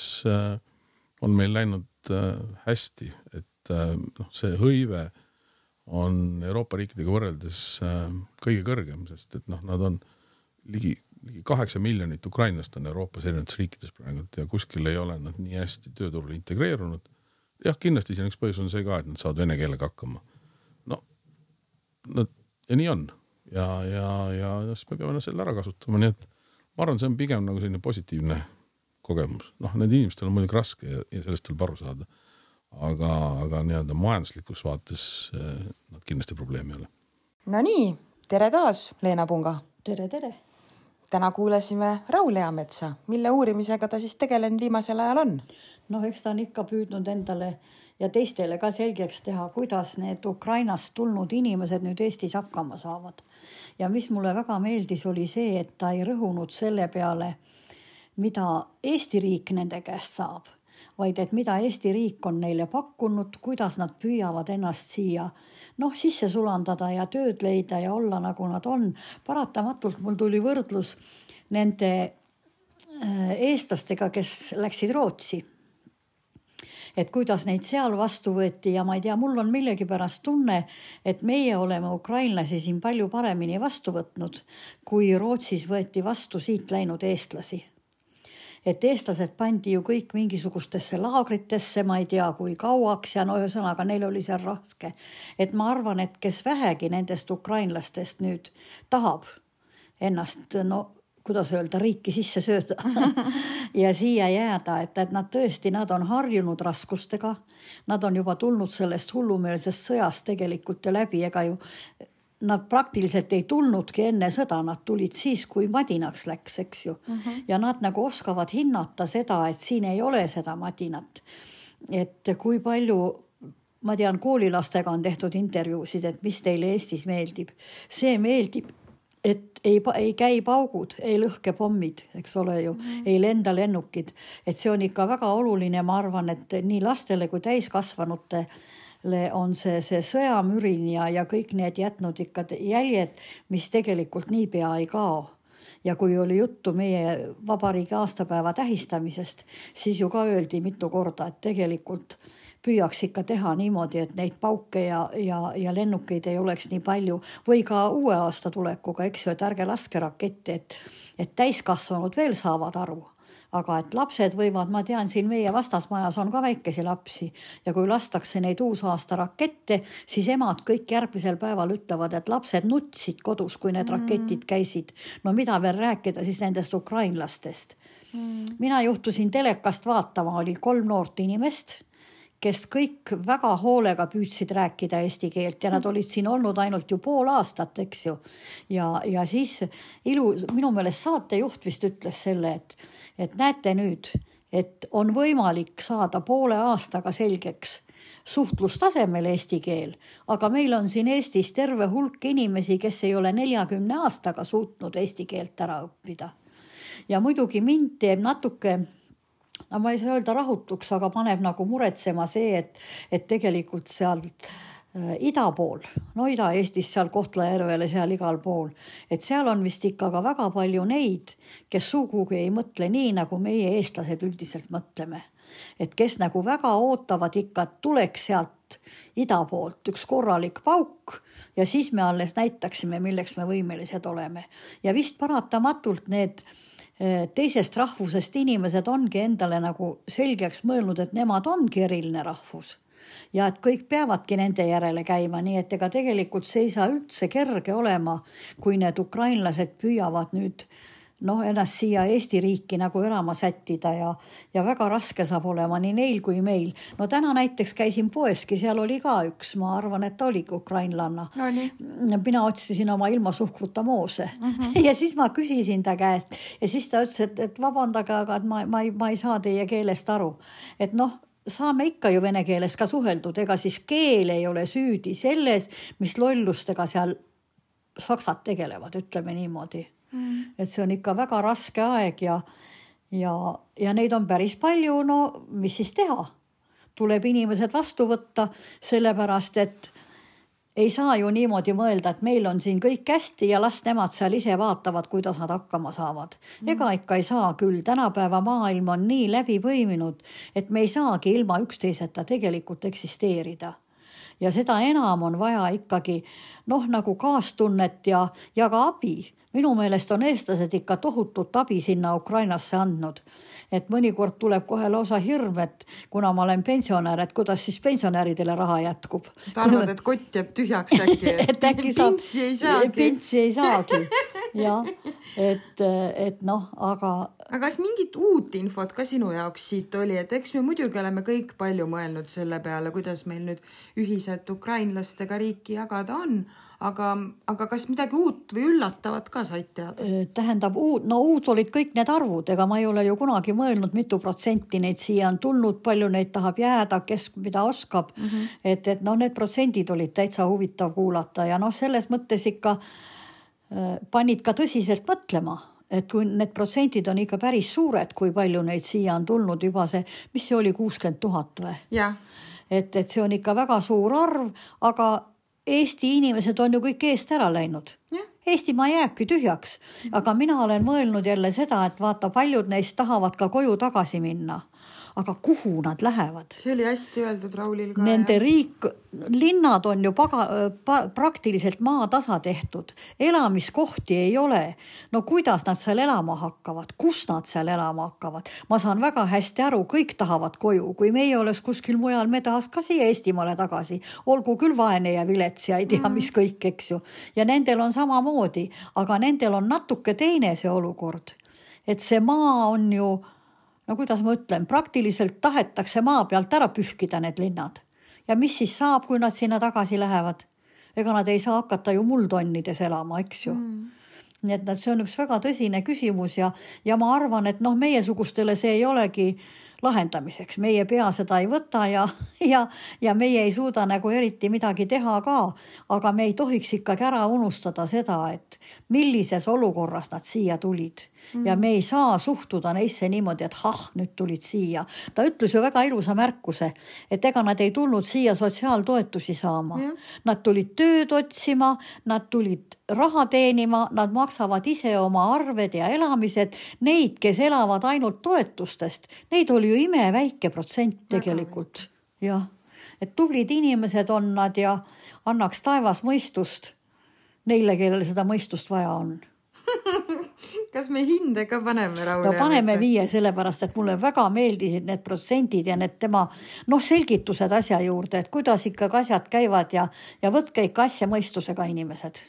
on meil läinud hästi, et see hõive on Euroopa riikidega võrreldes kõige kõrgem, sest et noh, nad on ligi 8 miljonit ukrainlast on Euroopas erinevates riikides praegu ja kuskil ei ole nad nii hästi tööturule integreerunud. Jah, kindlasti siin üks põhjus on see ka, et nad saavad vene keelega hakkama. No, ja nii on. Ja siis me peame selle ära kasutama, nii et ma arvan, see on pigem nagu selline positiivne kogemus. Noh, need inimestel on muidugi raske ja sellest tuleb aru saada. Aga nii-öelda majanduslikus vaates nad kindlasti probleemi ei ole. No nii, tere taas, Leena Punga. Tere. Täna kuulasime Raul Eametsa, mille uurimisega ta siis tegelenud viimasel ajal on. No eks ta on ikka püüdnud endale ja teistele ka selgeks teha, kuidas need Ukrainast tulnud inimesed nüüd Eestis hakkama saavad. Ja mis mulle väga meeldis oli see, et ta ei rõhunud selle peale, mida Eesti riik nende käest saab, vaid et mida Eesti riik on neile pakkunud, kuidas nad püüavad ennast siia sisse sulandada ja tööd leida ja olla nagu nad on. Paratamatult mul tuli võrdlus nende eestlastega, kes läksid Rootsi. Et kuidas neid seal vastu võeti ja ma ei tea, mul on millegipärast tunne, et meie oleme ukrainlasi siin palju paremini vastu võtnud, kui Rootsis võeti vastu siit läinud eestlasi. Et eestlased pandi ju kõik mingisugustesse laagritesse, ma ei tea kui kauaks ja ühesõnaga neil oli seal raske. Et ma arvan, et kes vähegi nendest ukrainlastest nüüd tahab ennast, kuidas öelda, riiki sisse sööda ja siia jääda, et nad tõesti, nad on harjunud raskustega, nad on juba tulnud sellest hullumeelsest sõjast tegelikult ja läbi, ega ju nad praktiliselt ei tulnudki enne sõda, nad tulid siis, kui madinaks läks, eks ju. Ja nad nagu oskavad hinnata seda, et siin ei ole seda madinat. Et kui palju, ma tean, koolilastega on tehtud intervjuusid, et mis teile Eestis meeldib. See meeldib, et ei käi paugud, ei lõhke pommid, eks ole ju, ei lenda lennukid. Et see on ikka väga oluline, ma arvan, et nii lastele kui täiskasvanute on see sõjamürin ja kõik need jätnud ikka jäljed, mis tegelikult niipea ei kao. Ja kui oli juttu meie vabariigi aastapäeva tähistamisest, siis ju ka öeldi mitu korda, et tegelikult püüaks ikka teha niimoodi, et neid pauke ja lennukeid ei oleks nii palju või ka uue aasta tulekuga, eks ju, et ärge laske raketti, et täiskasvanud veel saavad aru. Aga et lapsed võivad, ma tean, siin meie vastasmajas on ka väikesi lapsi ja kui lastakse neid uusaasta rakette, siis emad kõik järgmisel päeval ütlevad, et lapsed nutsid kodus, kui need raketid käisid. No mida veel rääkida siis nendest ukrainlastest? Mina juhtusin telekast vaatama, oli 3 noort inimest, kes kõik väga hoolega püüdsid rääkida eesti keelt ja nad olid siin olnud ainult ju pool aastat, eks ju. Ja siis minu meelest saatejuht vist ütles selle, et näete nüüd, et on võimalik saada poole aastaga selgeks suhtlustasemel eesti keel, aga meil on siin Eestis terve hulk inimesi, kes ei ole 40 aastaga suutnud eesti keelt ära õppida. Ja muidugi mind teeb natuke, no ma ei saa öelda rahutuks, aga paneb nagu muretsema see, et tegelikult seal ida pool, no Ida-Eestis seal Kohtla-Järvele, seal igal pool, et seal on vist ikka ka väga palju neid, kes sugugi ei mõtle nii, nagu meie eestlased üldiselt mõtleme. Et kes nagu väga ootavad ikka, et tuleks sealt ida poolt üks korralik pauk ja siis me alles näitaksime, milleks me võimelised oleme. Ja vist paratamatult need teisest rahvusest inimesed ongi endale nagu selgeks mõelnud, et nemad ongi eriline rahvus ja et kõik peavadki nende järele käima, nii et ega tegelikult see ei saa üldse kerge olema, kui need ukrainlased püüavad nüüd ennast siia Eesti riiki nagu elama sättida ja väga raske saab olema nii neil kui meil. No täna näiteks käisin poeski, seal oli ka üks, ma arvan, et ta oligi ukrainlanna. Mina otsisin oma ilma suhkruta moose ja siis ma küsisin ta käest ja siis ta ütles, et vabandage, aga et ma ei saa teie keelest aru. Et saame ikka ju vene keeles ka suheldud, ega siis keel ei ole süüdi selles, mis lollustega seal saksad tegelevad, ütleme niimoodi. Et see on ikka väga raske aeg ja neid on päris palju, mis siis teha? Tuleb inimesed vastu võtta, sellepärast, et ei saa ju niimoodi mõelda, et meil on siin kõik hästi ja las nemad seal ise vaatavad, kuidas nad hakkama saavad. Ega ikka ei saa küll, tänapäeva maailm on nii läbi põiminud, et me ei saagi ilma üksteiseta tegelikult eksisteerida. Ja seda enam on vaja ikkagi nagu kaastunnet ja ka abi. Minu meelest on eestlased ikka tohutut abi sinna Ukrainasse andnud. Et mõnikord tuleb kohe lausa hirm, et kuna ma olen pensionär, et kuidas siis pensionäridele raha jätkub. Ta arvad, et kott jääb tühjaks äkki, et pintsi ei saagi. Pintsi ei saagi, jah. Aga... Aga kas mingit uut infot ka sinu jaoks siit oli, et eks me muidugi oleme kõik palju mõelnud selle peale, kuidas meil nüüd ühiselt ukrainlastega riiki jagada on, aga kas midagi uut või üllatavat ka said teada? Tähendab, uut olid kõik need arvud, ega ma ei ole ju kunagi mõelnud, mitu protsenti neid siia on tulnud, palju neid tahab jääda, kes mida oskab. Et need protsendid olid täitsa huvitav kuulata ja selles mõttes ikka panid ka tõsiselt mõtlema, et kui need protsendid on ikka päris suured, kui palju neid siia on tulnud juba see, mis see oli 60 000 või? Jah. Et see on ikka väga suur arv, aga Eesti inimesed on ju kõik eest ära läinud. Ja. Eestimaa jääbki tühjaks, aga mina olen mõelnud jälle seda, et vaata, paljud neist tahavad ka koju tagasi minna. Aga kuhu nad lähevad? See oli hästi öeldud Raulil ka. Nende linnad on ju praktiliselt maatasa tehtud. Elamiskohti ei ole. No kuidas nad seal elama hakkavad? Kus nad seal elama hakkavad? Ma saan väga hästi aru, kõik tahavad koju. Kui meie oleks kuskil mujal, me tahaks ka siia Eestimaale tagasi. Olgu küll vaene ja vilets ja ei tea, mis kõik, eks ju. Ja nendel on samamoodi, aga nendel on natuke teine see olukord. Et see maa on ju... kuidas ma ütlen, praktiliselt tahetakse maa pealt ära pühkida need linnad. Ja mis siis saab, kui nad sinna tagasi lähevad? Ega nad ei saa hakata ju muldonnides elama, eks ju. Nii et see on üks väga tõsine küsimus ja ma arvan, et meiesugustele see ei olegi lahendamiseks. Meie pea seda ei võta ja meie ei suuda nagu eriti midagi teha ka, aga me ei tohiks ikkagi ära unustada seda, et millises olukorras nad siia tulid ja me ei saa suhtuda neisse niimoodi, et nüüd tulid siia. Ta ütles ju väga ilusa märkuse, et ega nad ei tulnud siia sotsiaaltoetusi saama. Nad tulid tööd otsima, nad tulid raha teenima, nad maksavad ise oma arved ja elamised. Neid, kes elavad ainult toetustest, neid oli ju imeväike protsent tegelikult. Jah, et tublid inimesed on nad ja annaks taevas mõistust neile, kellele seda mõistust vaja on. Kas me hinde ka paneme, Raul? No paneme 5, sellepärast, et mulle väga meeldisid need protsendid ja need tema selgitused asja juurde, et kuidas ikka asjad käivad ja võtke ikka asja mõistusega inimesed.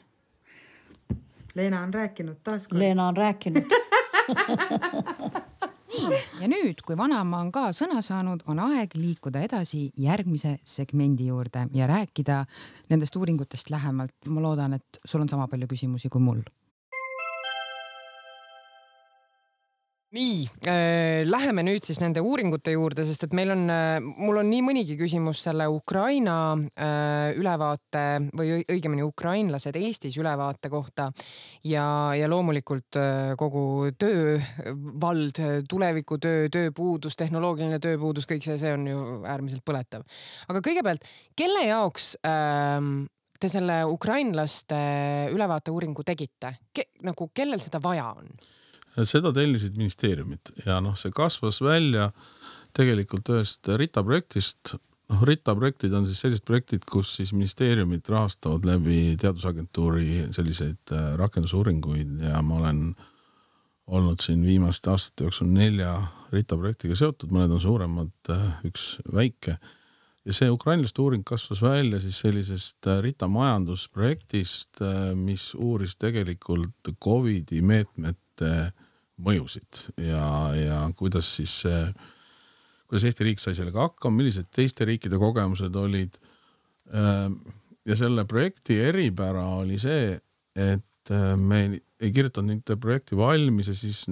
Leena on rääkinud taaskord. Leena on rääkinud. Ja nüüd, kui vanaema on ka sõna saanud, on aeg liikuda edasi järgmise segmendi juurde ja rääkida nendest uuringutest lähemalt. Ma loodan, et sul on sama palju küsimusi kui mul. Nii, läheme nüüd siis nende uuringute juurde, sest et mul on nii mõnigi küsimus selle Ukraina ülevaate või õigemini ukrainlased Eestis ülevaate kohta ja loomulikult kogu töövald, tulevikutöö, tööpuudus, tehnoloogiline tööpuudus, kõik see on ju äärmiselt põletav. Aga kõigepealt, kelle jaoks te selle ukrainlaste ülevaate uuringu tegite? Kellel seda vaja on? Seda tellisid ministeeriumid ja see kasvas välja tegelikult ühest RITA projektist. RITA projektid on siis sellised projektid, kus siis ministeeriumid rahastavad läbi teadusagentuuri selliseid rakendusuuringuid ja ma olen olnud siin viimaste aastate jooksul 4 RITA projektiga seotud, mõned on suuremad, üks väike. Ja see ukrainlaste uuring kasvas välja siis sellisest RITA majandusprojektist, mis uuris tegelikult COVID-i meetmete mõjusid ja kuidas Eesti riik sai sellega hakkama, millised teiste riikide kogemused olid. Ja selle projekti eripära oli see, et me ei kirjutanud nende projekti valmis ja siis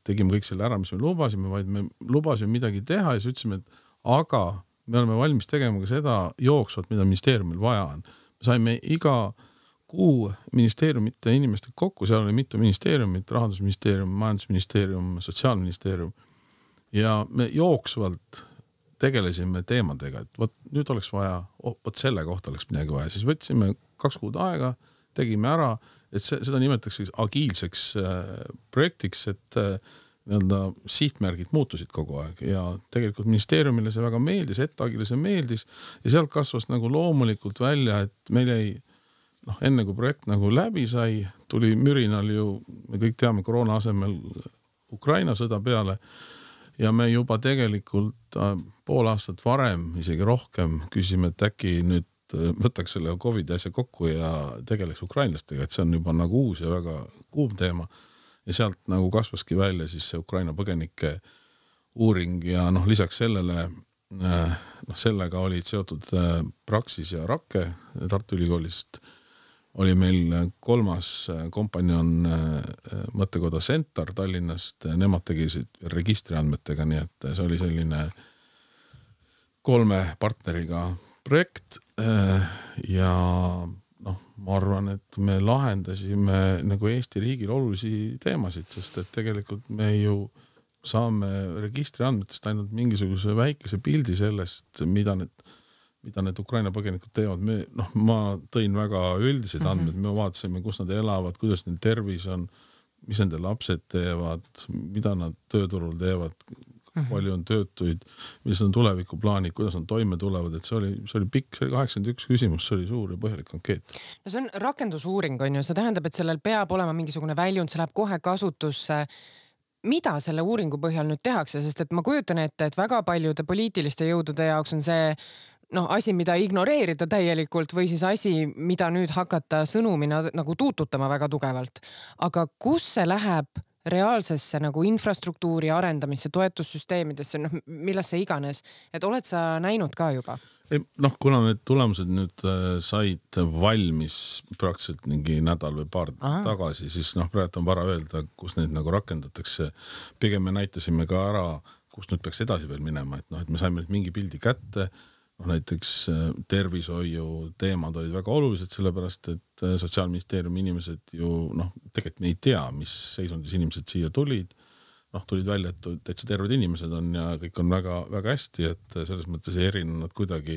tegime kõik selle ära, mis me lubasime, vaid me lubasime midagi teha ja siis ütlesime, et aga me oleme valmis tegema ka seda jooksvat, mida ministeeriumil vaja on. Me saime iga kuu ministeeriumite inimestega kokku, seal oli mitu ministeeriumit, Rahandusministeerium, Majandusministeerium, Sotsiaalministeerium ja me jooksvalt tegelesime teemadega, et nüüd oleks vaja, selle kohta oleks midagi vaja, siis võtsime 2 kuud aega, tegime ära, et seda nimetatakse agiilseks projektiks, et sihtmärgid muutusid kogu aeg ja tegelikult ministeeriumile see väga meeldis, Agile see meeldis ja sealt kasvas loomulikult välja, et meil ei enne kui projekt läbi sai, tuli mürinal ju, me kõik teame koroona asemel Ukraina sõda peale ja me juba tegelikult pool aastat varem, isegi rohkem küsime, et äkki nüüd võtaks selle COVID asja kokku ja tegeleks ukrainlastega, et see on juba uus ja väga kuum teema ja sealt kasvaski välja siis see Ukraina põgenike uuring ja lisaks sellele sellega olid seotud Praxis ja Rakke Tartu Ülikoolist oli meil 3. kompanjon mõttekoda Centar Tallinnast, nemad tegisid registriandmetega, nii et see oli selline 3 partneriga projekt ja ma arvan, et me lahendasime Eesti riigil olulisi teemasid, sest et tegelikult me ju saame registriandmetest ainult mingisuguse väikese pildi sellest, mida need Ukraina põgenikud teevad. Ma tõin väga üldised andmed, me vaatasime, kus nad elavad, kuidas neil tervis on, mis nende lapsed teevad, mida nad tööturul teevad, palju on töötuid, millised on tulevikuplaanid, kuidas nad toime tulevad, et see oli pikk, see oli 81 küsimus, see oli suur ja põhjalik ankeet. No see on rakendusuuring, on ju, see tähendab, et sellel peab olema mingisugune väljund, see läheb kohe kasutusse. Mida selle uuringu põhjal nüüd tehakse, sest et ma kujutan ette, et väga paljude poliitiliste jõudude jaoks on see asi, mida ignoreerida täielikult või siis asi, mida nüüd hakata sõnumina tuututama väga tugevalt. Aga kus see läheb reaalsesse infrastruktuuri arendamisse, toetussüsteemidesse, millesse iganes, et oled sa näinud ka juba? Kuna need tulemused nüüd said valmis praktiliselt mingi nädal või paar tagasi, siis praegu on vara öelda, kus neid rakendatakse. Pigem me näitasime ka ära, kus nüüd peaks edasi veel minema, et me saime mingi pildi kätte. näiteks tervishoiu teemad olid väga olulised, sellepärast et Sotsiaalministeeriumi inimesed ju tegelikult me ei tea, mis seisundis inimesed siia tulid. Tulid välja, et täitsa terved inimesed on ja kõik on väga, väga hästi, et selles mõttes ei erinenud kuidagi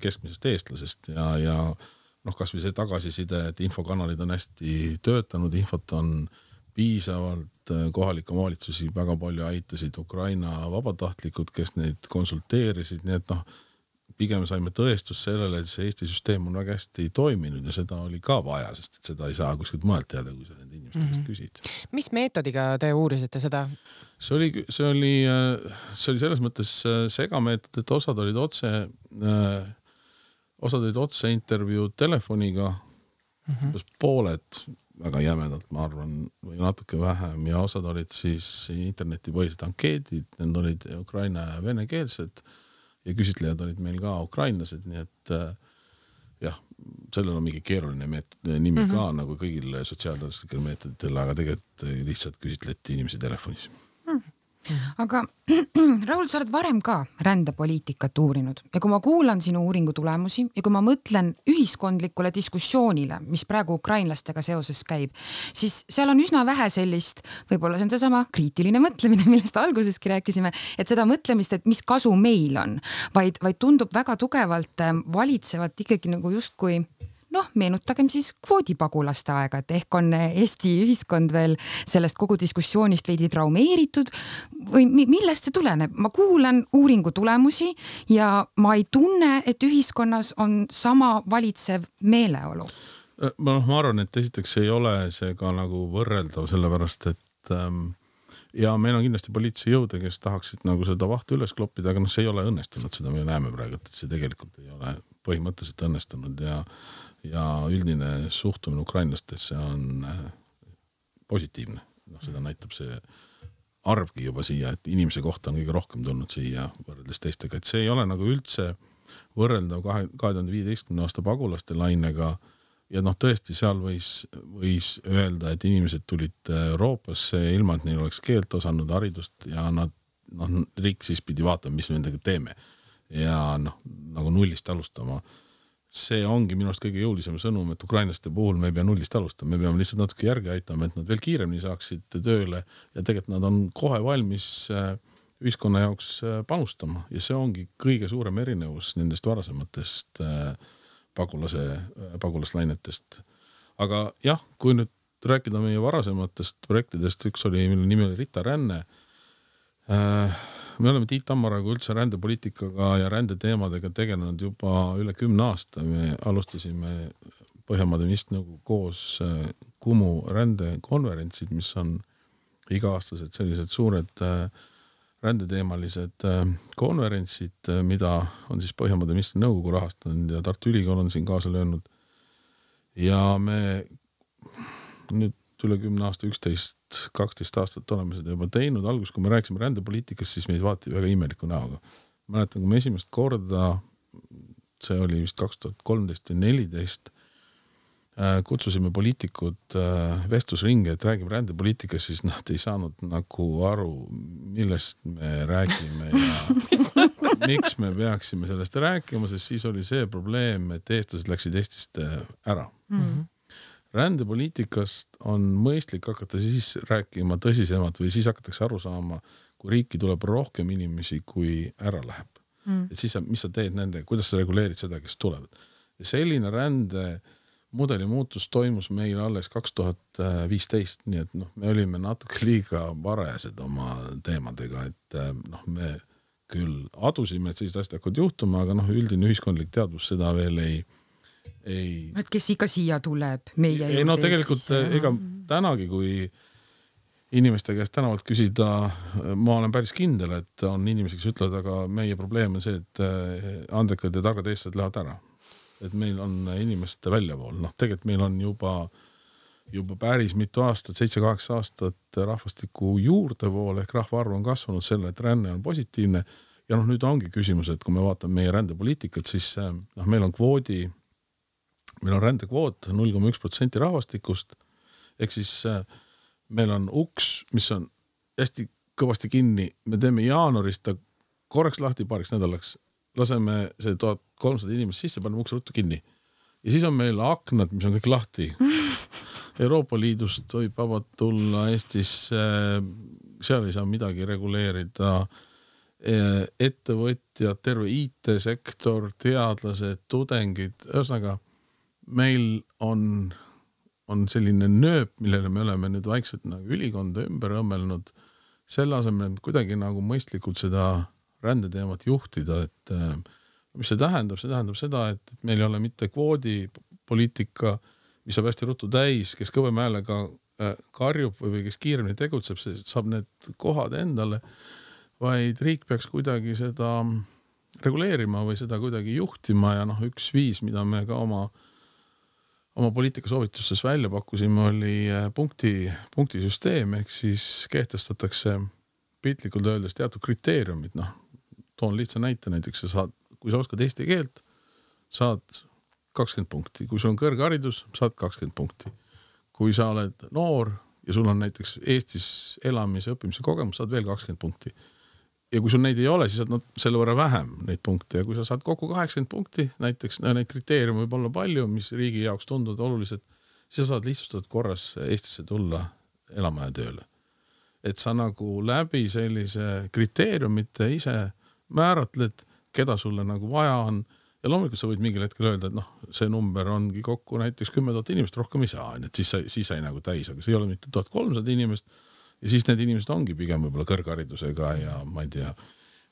keskmisest eestlasest ja kas või see tagasiside, et infokanalid on hästi töötanud, infot on piisavalt, kohalikke omavalitsusi väga palju aitasid Ukraina vabatahtlikud, kes neid konsulteerisid, nii et pigem saime tõestus sellele, et see Eesti süsteem on väga hästi toiminud ja seda oli ka vaja, sest et seda ei saa kuskilt mõelt teada, kui sa nende inimeste käest küsid. Mis meetodiga te uurisite seda? See oli selles mõttes segameetod, et osad olid otse intervjuud telefoniga, pooled väga jämedalt, ma arvan, või natuke vähem ja osad olid siis internetipõhised ankeedid, need olid ukraina ja venekeelsed ja küsitlejad olid meil ka ukrainlased, nii et jah, sellel on mingi keeruline nimi ka nagu kõigil sotsiaalteaduslikel meetoditel, aga tegelikult lihtsalt küsitleti inimesi telefonis. Aga Raul, sa oled varem ka rändepoliitikat uurinud ja kui ma kuulan sinu uuringu tulemusi ja kui ma mõtlen ühiskondlikule diskussioonile, mis praegu ukrainlastega seoses käib, siis seal on üsna vähe sellist, võib-olla see on seesama kriitiline mõtlemine, millest alguseski rääkisime, et seda mõtlemist, et mis kasu meil on, vaid tundub väga tugevalt valitsevat ikkagi nagu justkui meenutagem siis kvoodipagulaste aega, et ehk on Eesti ühiskond veel sellest kogu diskussioonist veidi traumeeritud või millest see tuleneb? Ma kuulan uuringu tulemusi ja ma ei tunne, et ühiskonnas on sama valitsev meeleolu. Ma arvan, et esiteks ei ole see ka nagu võrreldav, sellepärast et ja meil on kindlasti poliitilisi jõude, kes tahaksid nagu seda vahtu üles kloppida, aga see ei ole õnnestunud, seda me näeme praegu, et see tegelikult ei ole põhimõtteliselt õnnestunud ja üldine suhtumine ukrainlastesse on positiivne. Seda näitab see arvgi juba siia, et inimese kohta on kõige rohkem tulnud siia võrreldes teistega, et see ei ole nagu üldse võrreldav 2015. aasta pagulaste lainega ja tõesti seal võis öelda, et inimesed tulid Euroopasse ilma, et neil oleks keelt osanud, haridust ja riik siis pidi vaatama, mis me nendega teeme ja nagu nullist alustama. See ongi minu arust kõige jõulisem sõnum, et ukrainlaste puhul me ei pea nullist alustama, me peame lihtsalt natuke järgi aitama, et nad veel kiiremini saaksid tööle ja tegelikult nad on kohe valmis ühiskonna jaoks panustama ja see ongi kõige suurem erinevus nendest varasematest pagulaslainetest. Aga jah, kui nüüd rääkida meie varasematest projektidest, üks oli, mille nimi oli Rita ränne. Me oleme Tiit Tammaraga üldse rändepoliitikaga ja rändeteemadega tegelenud juba üle 10 aasta. Me alustasime Põhjamaade ministrinõukogu koos Kumu rändekonverentsid, mis on iga-aastased sellised suured rändeteemalised konverentsid, mida on siis Põhjamaade ministrinõukogu rahastanud ja Tartu Ülikool on siin kaasa löönud. Ja me nüüd üle 10 aasta, 11-12 aastat oleme seda juba teinud. Algus, kui me rääkisime rändepoliitikast, siis meid vaati väga imeliku näoga. Mäletan, kui me esimest korda, see oli vist 2013 või 2014, kutsusime poliitikud vestlusringi, et räägime rändepoliitikast, siis nad ei saanud nagu aru, millest me räägime ja miks me peaksime sellest rääkima, sest siis oli see probleem, et eestlased läksid Eestist ära. Rändepoliitikast on mõistlik hakata siis rääkima tõsisemalt või siis hakatakse aru saama, kui riiki tuleb rohkem inimesi, kui ära läheb. Et siis, mis sa teed nende, kuidas sa reguleerid seda, kes tulevad. Ja selline rändemudeli muutus toimus meil alles 2015, nii et me olime natuke liiga varajased oma teemadega, et me küll adusime, et sellised asjad hakkavad juhtuma, aga üldine ühiskondlik teadvus seda veel ei et kes ikka siia tuleb meie juurde tegelikult ega tänagi, kui inimeste käest tänavalt küsida, ma olen päris kindel, et on inimesi, kes ütlevad, aga meie probleem on see, et andekad ja targad eestlased lähevad ära. Et meil on inimeste väljavool. Tegelikult meil on juba päris mitu aastat, 7-8 aastat rahvastiku juurdevool ehk rahvaarv on kasvanud selle, et ränne on positiivne ja nüüd ongi küsimus, et kui me vaatame meie rändepoliitikat, siis meil on rändekvoot 0,1% rahvastikust, ehk siis meil on uks, mis on hästi kõvasti kinni, me teeme jaanuarist korraks lahti paariks nädalaks laseme see 1300 inimest sisse, paneme ukse ruttu kinni. Ja siis on meil aknad, mis on kõik lahti. Euroopa Liidust võib vabalt tulla Eestisse, seal ei saa midagi reguleerida. Ettevõtjad, terve IT-sektor, teadlased, tudengid, ühesõnaga meil on selline nööp, millele me oleme nüüd vaikselt nagu ülikonda ümber õmmelnud, selle asemel, et kuidagi nagu mõistlikult seda rändeteemat juhtida, et mis see tähendab? See tähendab seda, et meil ei ole mitte kvoodipoliitika, mis saab hästi ruttu täis, kes kõvema häälega karjub või kes kiiremini tegutseb, see saab need kohad endale, vaid riik peaks kuidagi seda reguleerima või seda kuidagi juhtima ja üks viis, mida me ka oma poliitikasoovitustes välja pakkusime, oli punktisüsteem, ehk siis kehtestatakse piltlikult öeldes teatud kriteeriumid. Toon lihtsa näite, näiteks kui sa oskad eesti keelt, saad 20 punkti. Kui sul on kõrgharidus, saad 20 punkti. Kui sa oled noor ja sul on näiteks Eestis elamise õppimise kogemus, saad veel 20 punkti. Ja kui sul neid ei ole, siis saad selle võrra vähem neid punkte. Ja kui sa saad kokku 80 punkti, näiteks neid kriteeriumi võib olla palju, mis riigi jaoks tunduvad olulised, siis sa saad lihtsustatud korras Eestisse tulla elama ja tööle. Et sa nagu läbi sellise kriteeriumite ise määratled, keda sulle nagu vaja on. Ja loomulikult sa võid mingil hetkel öelda, et see number ongi kokku näiteks 10 000 inimest, rohkem ei saa, et siis sai nagu täis, aga see ei ole mitte 1300 inimest. Ja siis need inimesed ongi pigem võib-olla kõrgharidusega ja ma ei tea,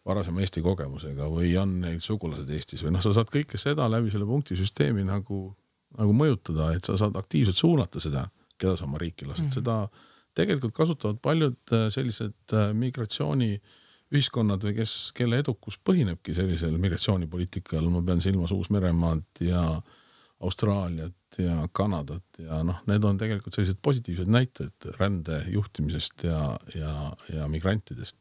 varasema Eesti kogemusega või on neil sugulased Eestis või sa saad kõike seda läbi selle punktisüsteemi nagu mõjutada, et sa saad aktiivselt suunata seda, keda sa oma riiki lased. Seda tegelikult kasutavad paljud sellised migratsiooniühiskonnad või kelle edukus põhinebki sellisel migratsioonipoliitikal. Ma pean silmas Uus-Meremaad ja Austraaliat ja Kanadat ja need on tegelikult sellised positiivsed näited rände juhtimisest ja migrantidest.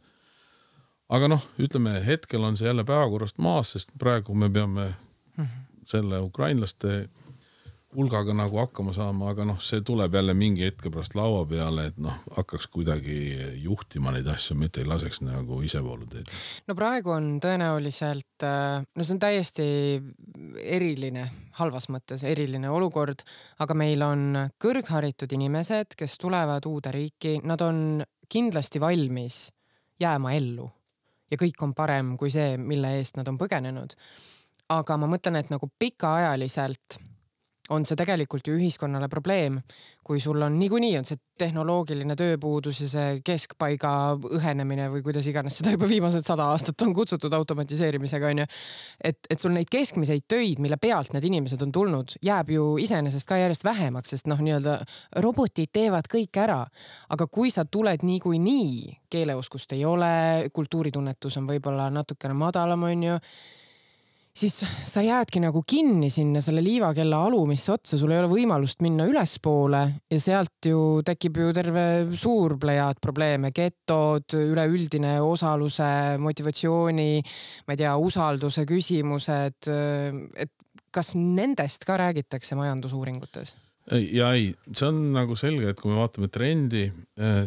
Aga ütleme, hetkel on see jälle päevakorrast maas, sest praegu me peame selle ukrainlaste hulgaga nagu hakkama saama, aga see tuleb jälle mingi hetke pärast laua peale, et hakkaks kuidagi juhtima neid asju, mitte ei laseks nagu isevoolu teed. No praegu on tõenäoliselt, see on täiesti eriline, halvas mõttes eriline olukord, aga meil on kõrgharitud inimesed, kes tulevad uude riiki, nad on kindlasti valmis jääma ellu ja kõik on parem kui see, mille eest nad on põgenenud. Aga ma mõtlen, et nagu pikaajaliselt on see tegelikult ju ühiskonnale probleem, kui sul on niikuinii on see tehnoloogiline tööpuudus ja see keskpaiga õhenemine või kuidas iganes seda juba viimased 100 aastat on kutsutud automatiseerimisega, on ju. Et sul neid keskmiseid töid, mille pealt need inimesed on tulnud, jääb ju iseenesest ka järjest vähemaks, sest nii-öelda robotid teevad kõik ära. Aga kui sa tuled niikuinii, keeleoskust ei ole, kultuuritunnetus on võib-olla natukene madalam, on ju, siis sa jäädki nagu kinni sinna selle liivakella alumisse otsa, sul ei ole võimalust minna ülespoole ja sealt ju tekib ju terve suur plejaad probleeme, getod, üleüldine osaluse, motivatsiooni, ma ei tea, usalduse küsimused, et kas nendest ka räägitakse majandusuuringutes? Ja ei, see on nagu selge, et kui me vaatame trendi,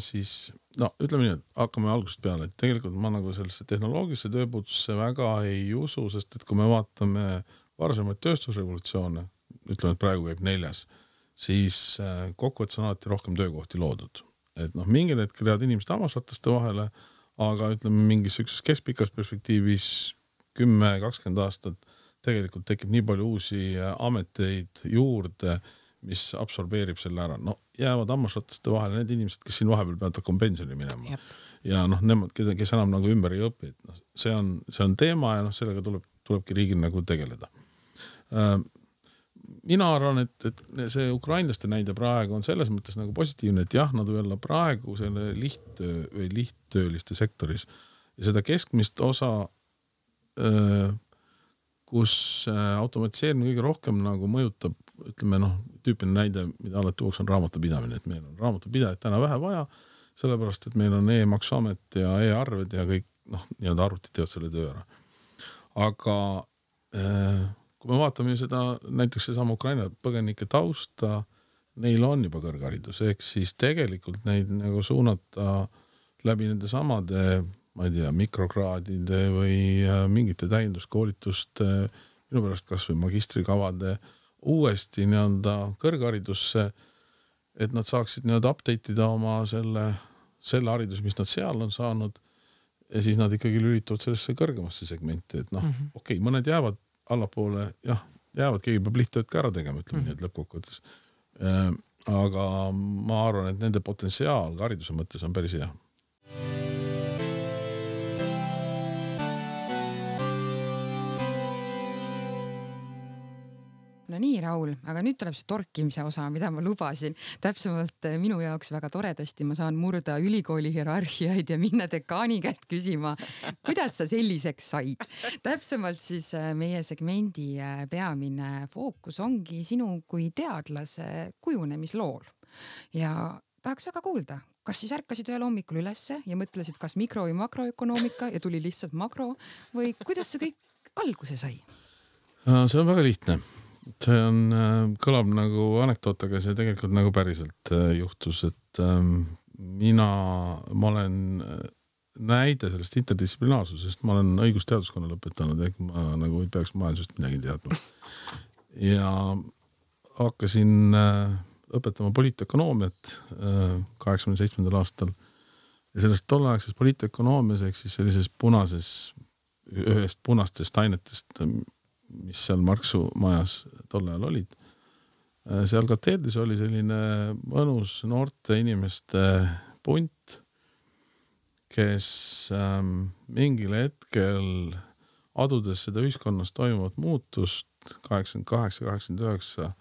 siis ütleme nii, et hakkame algusest peale, et tegelikult ma nagu sellesse tehnoloogilisse tööpuutusse väga ei usu, sest et kui me vaatame varasemaid tööstusrevolutsioone, ütleme, et praegu käib 4, siis kokkuvõttes on alati rohkem töökohti loodud. Et mingil hetkel jäävad inimesed hammasrataste vahele, aga ütleme mingis keskpikas perspektiivis 10-20 aastat tegelikult tekib nii palju uusi ameteid juurde, mis absorbeerib selle ära. Jäävad hammasrataste vahele need inimesed, kes siin vahepeal peavad hakkama pensioni minema. Jep. Ja nemad, kes enam nagu ümber ei õpi. See on teema ja sellega tulebki riigil nagu tegeleda. Mina arvan, et see ukrainlaste näide praegu on selles mõttes nagu positiivne, et jah, nad võivad praegu selle lihttööliste sektoris ja seda keskmist osa, kus automatiseerimine kõige rohkem nagu mõjutab, ütleme tüüpiline näide, mida alati tuuks on raamatupidamine, et meil on raamatupidajad täna vähe vaja, sellepärast, et meil on e-maksuamet ja e-arved ja kõik, nii-öelda arvutid teevad selle töö ära. Aga kui me vaatame seda, näiteks seesama Ukraina põgenike tausta, neil on juba kõrgharidus, ehk siis tegelikult neid nagu suunata läbi nende samade ma ei tea, mikrokraadide või mingite täienduskoolituste, minu pärast kas või magistrikavade uuesti nii-öelda kõrgharidusse, et nad saaksid nii-öelda update ida oma selle haridus, mis nad seal on saanud ja siis nad ikkagi lülituvad sellesse kõrgemasse segmenti, et okei, mõned jäävad allapoole, jäävad, keegi peab lihttööd ka ära tegema, ütleme nii, et lõppkokkuvõttes. Aga ma arvan, et nende potentsiaal hariduse mõttes on päris hea. No nii, Raul, aga nüüd tuleb see torkimise osa, mida ma lubasin. Täpsemalt minu jaoks väga toredasti ma saan murda ülikooli hierarhiaid ja minna dekaani käest küsima, kuidas sa selliseks said. Täpsemalt siis meie segmendi peamine fookus ongi sinu kui teadlase kujunemislool. Ja tahaks väga kuulda, kas siis ärkasid ühel hommikul ülesse ja mõtlesid, kas mikro- või makroökonoomika ja tuli lihtsalt makro või kuidas see kõik alguse sai? See on väga lihtne. See kõlab nagu anekdoot, aga see tegelikult nagu päriselt juhtus, et ma olen näide sellest interdistsiplinaarsusest, ma olen õigusteaduskonna lõpetanud, ehk ma nagu ei peaks majandusest midagi teadma. Ja hakkasin õpetama poliitökonoomiat 87. aastal ja sellest tolleaegses poliitökonoomias ehk siis sellises ühest punastest ainetest, mis seal Marksu majas tol ajal olid. Seal kateedris oli selline mõnus noorte inimeste punt, kes mingil hetkel adudes seda ühiskonnas toimuvat muutust 88-89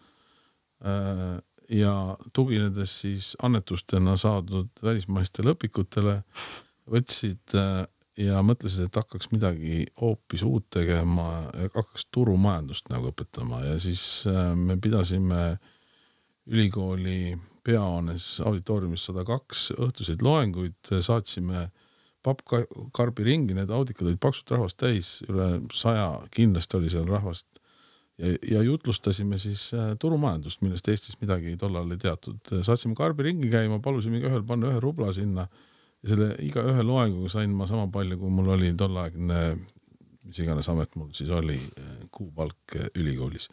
ja tuginedes siis annetustena saadud välismaistele õpikutele võtsid ja mõtlesid, et hakkaks midagi hoopis uut tegema ja hakkaks turumajandust nagu õpetama ja siis me pidasime ülikooli peahoones auditooriumis 102 õhtuseid loenguid, saatsime pappkarbi ringi, need audikad olid paksult rahvast täis, üle 100 kindlasti oli seal rahvast ja jutlustasime siis turumajandust, millest Eestis midagi tollal ei teatud. Saatsime karbi ringi käima, palusime ühel panna 1 rubla sinna ja selle iga ühe loenguga sain ma sama palju, kui mul oli tollaegne, mis iganes amet mul siis oli, kuupalk ülikoolis.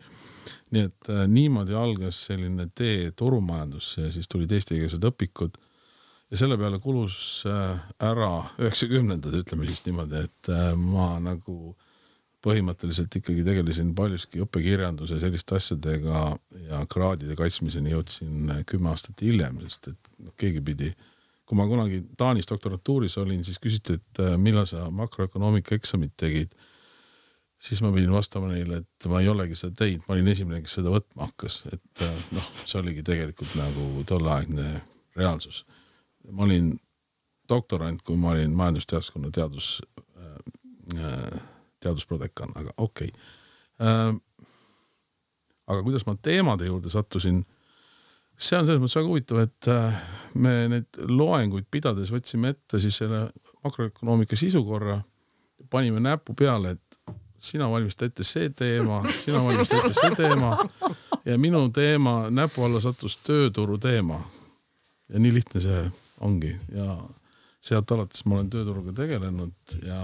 Nii et niimoodi algas selline tee turumajandusse ja siis tulid eestikeelsed õpikud ja selle peale kulus ära 90-ndad, ütleme siis niimoodi, et ma nagu põhimõtteliselt ikkagi tegelesin paljuski õppekirjanduse selliste asjadega ja kraadide kaitsmiseni jõudsin 10 aastat hiljem, sest et keegi pidi. Kui ma kunagi Taanis doktoratuuris olin, siis küsiti, et millal sa makroökonoomika eksamit tegid, siis ma pidin vastama neile, et ma ei olegi seda teinud, ma olin esimene, kes seda võtma hakkas, et see oligi tegelikult nagu tolleaegne reaalsus. Ma olin doktorant, kui ma olin majandusteaduskonna teadusprodekan, aga okei. Aga kuidas ma teemade juurde sattusin, see on selles mõttes väga huvitav, et me need loenguid pidades võtsime ette siis selle makroökonoomika sisukorra, panime näpu peale, et sina valmista ette see teema, sina valmista ette see teema ja minu teema näpu alla sattus tööturu teema. Ja nii lihtne see ongi ja sealt alates ma olen tööturuga tegelenud ja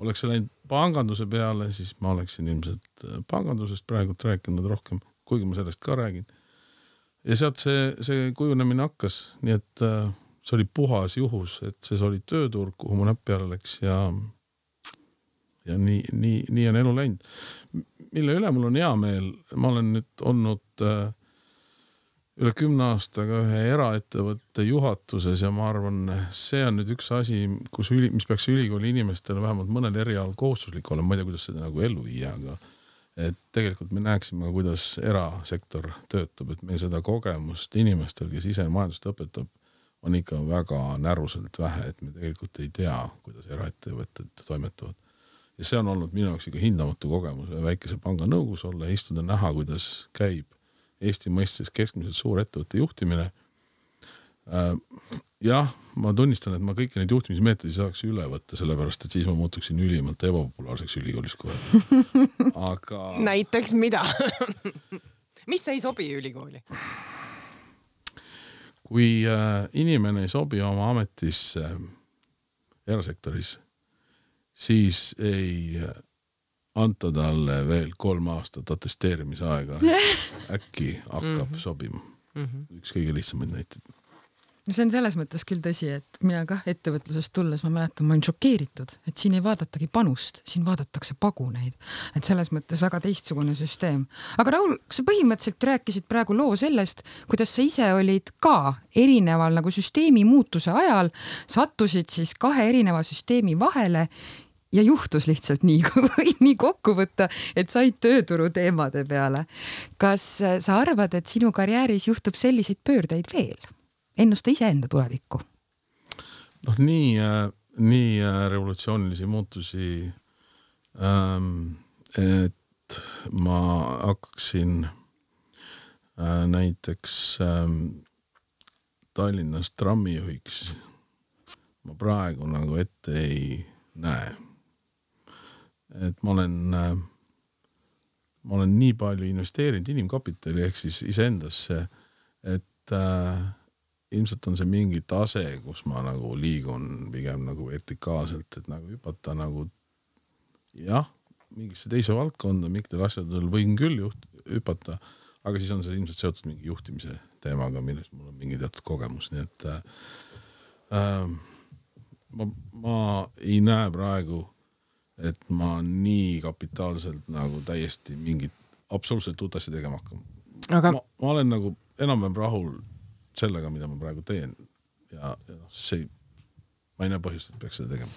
oleks see läinud panganduse peale, siis ma oleksin ilmselt pangandusest praegult rääkinud rohkem, kuigi ma sellest ka räägin. Ja sealt see kujunemine hakkas, nii et see oli puhas juhus, et see oli tööturg, kuhu mu näpp peale läks ja nii on elu läinud. Mille üle mul on hea meel, ma olen nüüd olnud üle 10 aastaga ühe eraettevõtte juhatuses ja ma arvan, see on nüüd üks asi, mis peaks ülikooli inimestele vähemalt mõnel erialal kohustuslik olema, ma ei tea, kuidas seda nagu ellu viia, aga et tegelikult me näeksime, kuidas erasektor töötab, et meil seda kogemust inimestel, kes ise majandust õpetab, on ikka väga näruselt vähe, et me tegelikult ei tea, kuidas eraettevõtted toimetavad. Ja see on olnud minu jaoks ikka hindamatu kogemus väikese panga nõukogus olla ja istuda näha, kuidas käib Eesti mõistes keskmiselt suur ettevõtte juhtimine. Jah, ma tunnistan, et ma kõiki neid juhtimismeetodi saaks üle võtta, sellepärast, et siis ma muutuksin ülimalt ebapopulaarseks ülikoolis kohe. Aga... Näiteks mida? Mis ei sobi ülikooli? Kui inimene ei sobi oma ametisse erasektoris, siis ei anta talle veel 3 aastat atesteerimise aega. Äkki hakkab sobima. Üks kõige lihtsamaid näiteid. See on selles mõttes küll tõsi, et mina kah ettevõtlusest tulles, ma mäletan, ma olin šokeeritud, et siin ei vaadatagi panust, siin vaadatakse paguneid. Et selles mõttes väga teistsugune süsteem. Aga Raul, sa põhimõtteliselt rääkisid praegu loo sellest, kuidas sa ise olid ka erineval nagu süsteemi muutuse ajal, sattusid siis 2 erineva süsteemi vahele ja juhtus lihtsalt nii kokku võtta, et said tööturu teemade peale. Kas sa arvad, et sinu karjääris juhtub selliseid pöördeid veel? Ennusta iseenda tulevikku? Nii revolutsioonilisi muutusi, et ma hakkaksin näiteks Tallinnas trammijuhiks. Ma praegu nagu ette ei näe. Et ma olen nii palju investeerinud inimkapitali ehk siis iseendasse, et ilmselt on see mingi tase, kus ma nagu liigun pigem nagu vertikaalselt, et nagu hüpata nagu mingisse teise valdkonda, mingitel asjadel võin küll hüpata, aga siis on see ilmselt seotud mingi juhtimise teemaga, milles mul on mingi teatud kogemus, nii et ma ei näe praegu, et ma nii kapitaalselt nagu täiesti mingit absoluutselt uut asja tegema hakkama. Aga... Ma olen nagu enam-vähem rahul sellega, mida ma praegu teen ja ma ei näe põhjust, et peaks seda tegema.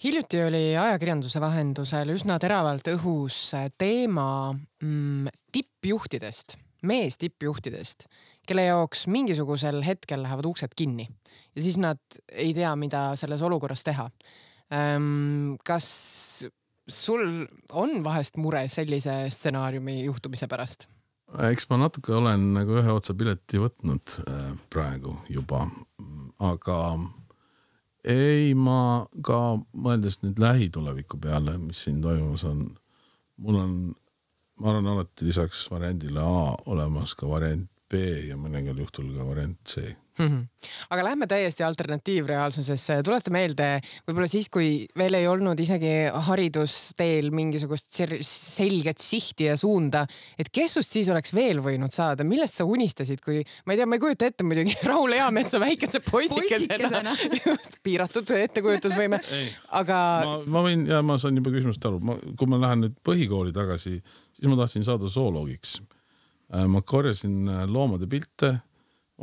Hiljuti oli ajakirjanduse vahendusel üsna teravalt õhus teema tippjuhtidest, mees tippjuhtidest, kelle jaoks mingisugusel hetkel lähevad uksed kinni ja siis nad ei tea, mida selles olukorras teha. Kas sul on vahest mure sellise stsenaariumi juhtumise pärast? Eks ma natuke olen nagu ühe otsa pileti võtnud praegu juba, aga ei, ma ka mõeldes nüüd lähituleviku peale, mis siin toimus on, ma arvan alati lisaks variandile A olemas ka variant B ja mõningal juhtul ka variant C. Aga lähme täiesti alternatiivreaalsusesse. Tuleta meelde, võib-olla siis, kui veel ei olnud isegi haridusteel mingisugust selget sihti ja suunda, et kes sust siis oleks veel võinud saada? Millest sa unistasid, kui, ma ei tea, ma ei kujuta ette muidugi Raul Eametsa väikese poisikesena. Just piiratud ettekujutusvõime. Aga... Ma saan juba küsimust aru. Kui ma lähen nüüd põhikooli tagasi, siis ma tahtsin saada zooloogiks. Ma korjasin loomade pilte.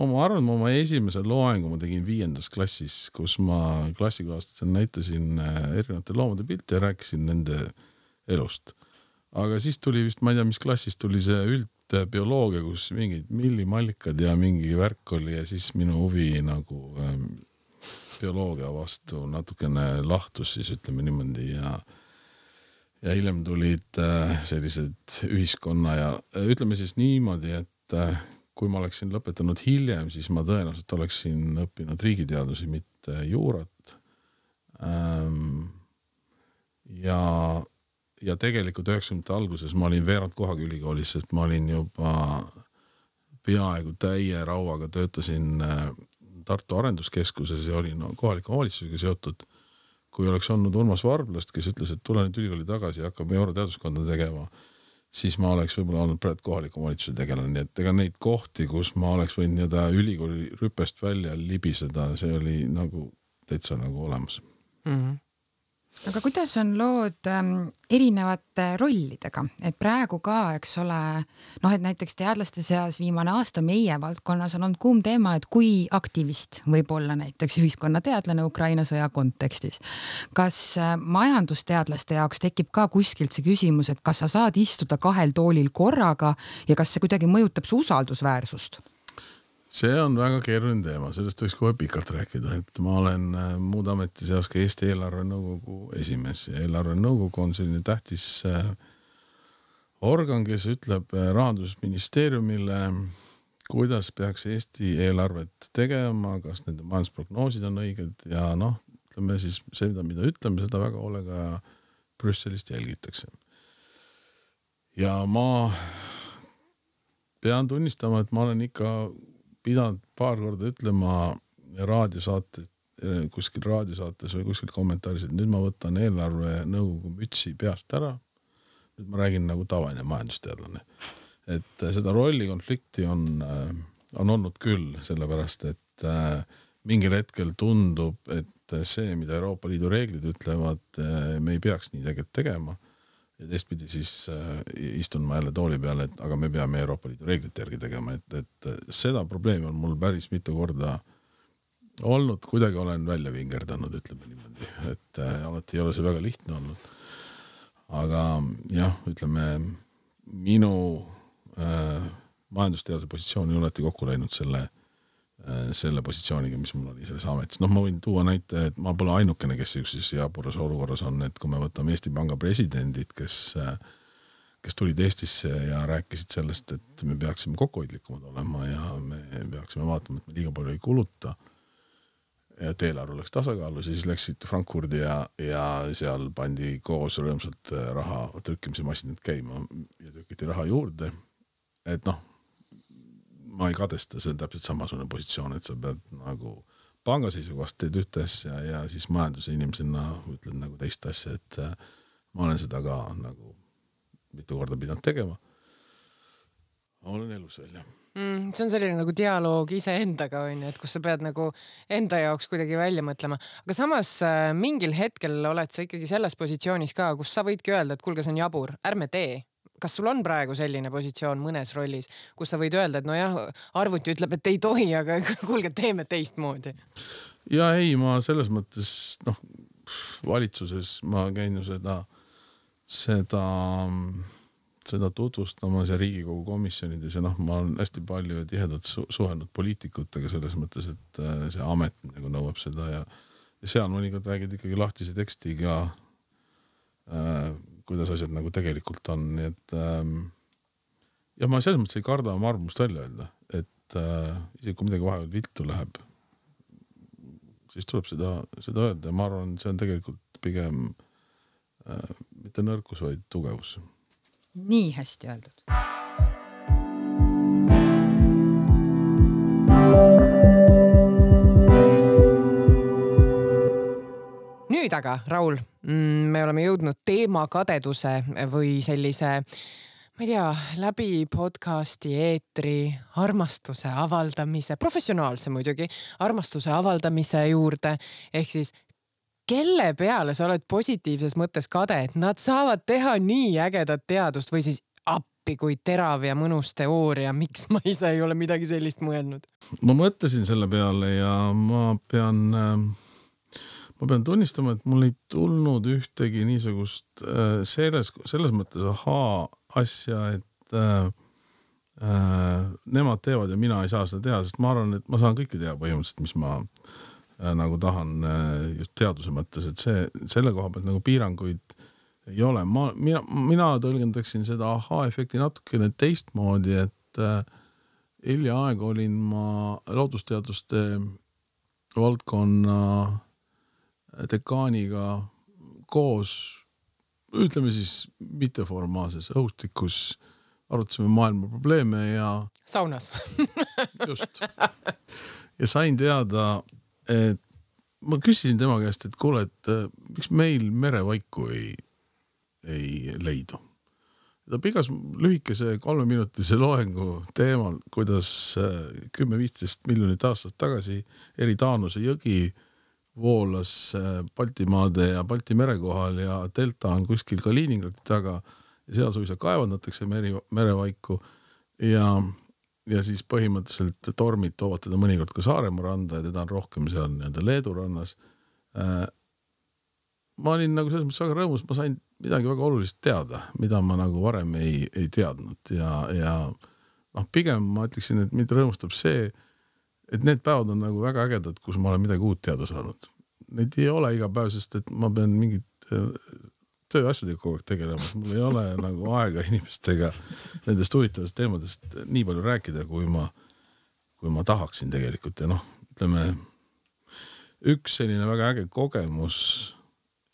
Ma arvan, oma esimese loengu ma tegin 5. klassis, kus ma klassikaaslastel näitasin erinevate loomade pilte ja rääkisin nende elust. Aga siis tuli vist, ma ei tea, mis klassis tuli see üldbioloogia, kus mingid millimallikad ja mingi värk oli ja siis minu huvi nagu bioloogia vastu natukene lahtus, siis ütleme niimoodi ja hiljem tulid sellised ühiskonna ja ütleme siis niimoodi, et kui ma oleksin lõpetanud hiljem, siis ma tõenäoliselt oleksin õppinud riigiteadusi, mitte juurat. Ja tegelikult 90. alguses ma olin veerand kohaga ülikoolis, sest ma olin juba peaaegu täie rauaga töötasin Tartu arenduskeskuses ja olin kohaliku omavalitsusega seotud. Kui oleks olnud Urmas Varblast, kes ütles, et tule nüüd ülikooli tagasi ja hakkab euroteaduskonda tegema, siis ma oleks võib-olla olnud praegu kohaliku omavalitsuse tegelane, nii et ega neid kohti, kus ma oleks võinud ülikooli rüpest välja libiseda, see oli nagu täitsa nagu olemas. Aga kuidas on lood erinevate rollidega, et praegu ka, eks ole, et näiteks teadlaste seas viimane aasta meie valdkonnas on olnud kuum teema, et kui aktivist võib olla näiteks ühiskonnateadlane Ukraina sõja kontekstis. Kas majandusteadlaste jaoks tekib ka kuskilt see küsimus, et kas sa saad istuda 2 toolil korraga ja kas see kuidagi mõjutab su usaldusväärsust? See on väga keeruline teema, sellest võiks kohe pikalt rääkida, et ma olen muud ameti seas ka Eesti eelarvenõukogu esimees ja eelarvenõukogu on selline tähtis organ, kes ütleb Rahandusministeeriumile, kuidas peaks Eesti eelarvet tegema, kas nende majandusprognoosid on õiged ja ütleme siis seda, mida ütleme, seda väga hoolega Brüsselist jälgitakse. Ja ma pean tunnistama, et ma olen ikka pidanud paar korda ütlema raadiosaate kuskil raadiosaates või kuskil kommentaaris, et nüüd ma võtan eelarve nõukogu mütsi peast ära. Nüüd ma räägin nagu tavaline majandusteadlane. Et seda rollikonflikti on olnud küll, sellepärast, et mingil hetkel tundub, et see, mida Euroopa Liidu reeglid ütlevad, me ei peaks nii tegelikult tegema. Ja teistpidi siis istun ma jälle tooli peale, et aga me peame Euroopa Liidu reeglite järgi tegema, et seda probleemi on mul päris mitu korda olnud, kuidagi olen välja vingerdanud, ütleme niimoodi, et alati ei ole see väga lihtne olnud. Aga jah, ütleme, minu majandusteaduse positsioon ei oleti kokku läinud selle positsiooniga, mis mul oli selles ametis. Ma võin tuua näite, et ma pole ainukene, kes siis jaburas olukorras on, et kui me võtame Eesti Panga presidendid, kes tulid Eestisse ja rääkisid sellest, et me peaksime kokkuhoidlikumad olema ja me peaksime vaatama, et me liiga palju ei kuluta ja et eelarve oleks tasakaalus ja siis läksid Frankfurdi ja seal pandi koos rõõmsalt raha trükkimise masinad käima ja trükiti raha juurde. Et ma ei kadesta, see on täpselt samasugune positsioon, et sa pead nagu panga seisukohast teed ühte asja ja siis majanduse inimesena ütled nagu teist asja, et ma olen seda ka nagu mitu korda pidanud tegema. Olen elus välja. See on selline nagu dialoog iseendaga, et kus sa pead nagu enda jaoks kuidagi välja mõtlema. Aga samas mingil hetkel oled sa ikkagi selles positsioonis ka, kus sa võidki öelda, et kuulge, see on jabur, ärme tee. Kas sul on praegu selline positsioon mõnes rollis, kus sa võid öelda, et nojah, arvuti ütleb, et ei tohi, aga kuulge, teeme teistmoodi? Ja ei, ma selles mõttes, valitsuses ma käin ju seda tutvustamas ja Riigikogu komisjonides ja ma olen hästi palju tihedalt suhelnud poliitikutega selles mõttes, et see amet nagu nõuab seda ja seal mõnikord räägid ikkagi lahtise tekstiga kuidas asjad nagu tegelikult on, nii et ja ma selles mõttes ei karda oma arvamust välja öelda, et isegi kui midagi vahepeal viltu läheb, siis tuleb seda öelda ja ma arvan, see on tegelikult pigem mitte nõrkus, vaid tugevus. Nii hästi öeldud. Nüüd aga, Raul, me oleme jõudnud teema kadeduse või sellise, ma ei tea, läbi podcasti eetri armastuse avaldamise, professionaalse muidugi, armastuse avaldamise juurde, ehk siis kelle peale sa oled positiivses mõttes kade, et nad saavad teha nii ägedat teadust või siis appi kui terav ja mõnus teooria, miks ma ise ei ole midagi sellist mõelnud? Ma mõtlesin selle peale ja ma pean tunnistama, et mul ei tulnud ühtegi niisugust selles mõttes asja, et nemad teevad ja mina ei saa seda teha, sest ma arvan, et ma saan kõike teha põhimõtteliselt, mis ma nagu tahan just teaduse mõttes, et selle koha pealt nagu piiranguid ei ole. Mina tõlgendaksin seda efekti natukene teistmoodi, et hiljaaeg olin ma loodusteaduste valdkonna dekaaniga koos, ütleme siis mitteformaalses õhustikus, arutasime maailma probleeme ja saunas. Just. Ja sain teada, et ma küsisin tema käest, et kuule, et miks meil merevaiku ei leidu. Ta pikas lühikese 3-minutilise loengu teemal, kuidas 10-15 miljonit aastat tagasi eri Taanuse jõgi voolas Baltimaade ja Balti mere kohal ja delta on kuskil Kaliningradi taga ja seal suisa kaevandatakse merevaiku ja siis põhimõtteliselt tormid toovad teda mõnikord ka Saaremaa randa ja teda on rohkem seal Leedu rannas. Ma olin nagu selles mõttes väga rõõmus, ma sain midagi väga olulist teada, mida ma nagu varem ei teadnud ja pigem ma ütleksin, et mind rõõmustab see, et need päevad on nagu väga ägedad, kus ma olen midagi uut teada saanud. Need ei ole iga päev, sest et ma pean mingit tööasjadega kogu aeg tegelema. Mul ei ole nagu aega inimestega nendest huvitavast teemadest nii palju rääkida, kui ma tahaksin tegelikult. Ja ütleme, üks selline väga äge kogemus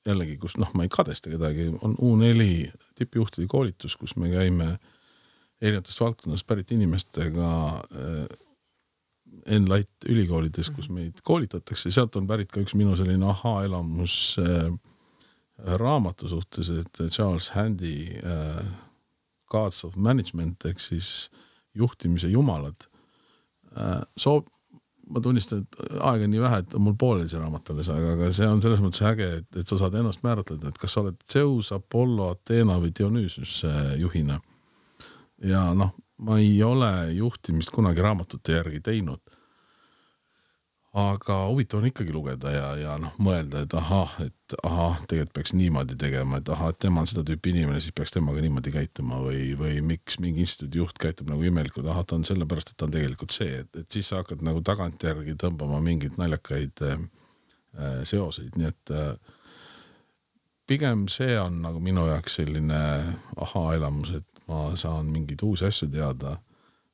jällegi, kus ma ei kadesta kedagi, on U4 tippjuhtide koolitus, kus me käime erinevatest valdkondadest pärit inimestega Enlight ülikoolides, kus meid koolitatakse, sealt on pärit ka üks minu selline aha-elamus raamatu suhtes, et Charles Handy Gods of Management ehk siis juhtimise jumalad. Ma tunnistan, et aega nii vähe, et on mul pooleli see raamat alles, aga see on selles mõttes äge, et sa saad ennast määratleda, et kas sa oled Zeus, Apollo, Athena või Dionysus juhina. Ja ma ei ole juhtimist kunagi raamatute järgi teinud. Aga huvitav on ikkagi lugeda ja mõelda, et tegelikult peaks niimoodi tegema, et et tema on seda tüüpi inimene, siis peaks temaga niimoodi käituma või miks mingi instituudi juht käitub nagu imelikult, ta on sellepärast, et ta on tegelikult see, et siis sa hakkad nagu tagantjärgi tõmbama mingeid naljakaid seoseid, nii et pigem see on nagu minu jaoks selline aha-elamus, et ma saan mingeid uusi asju teada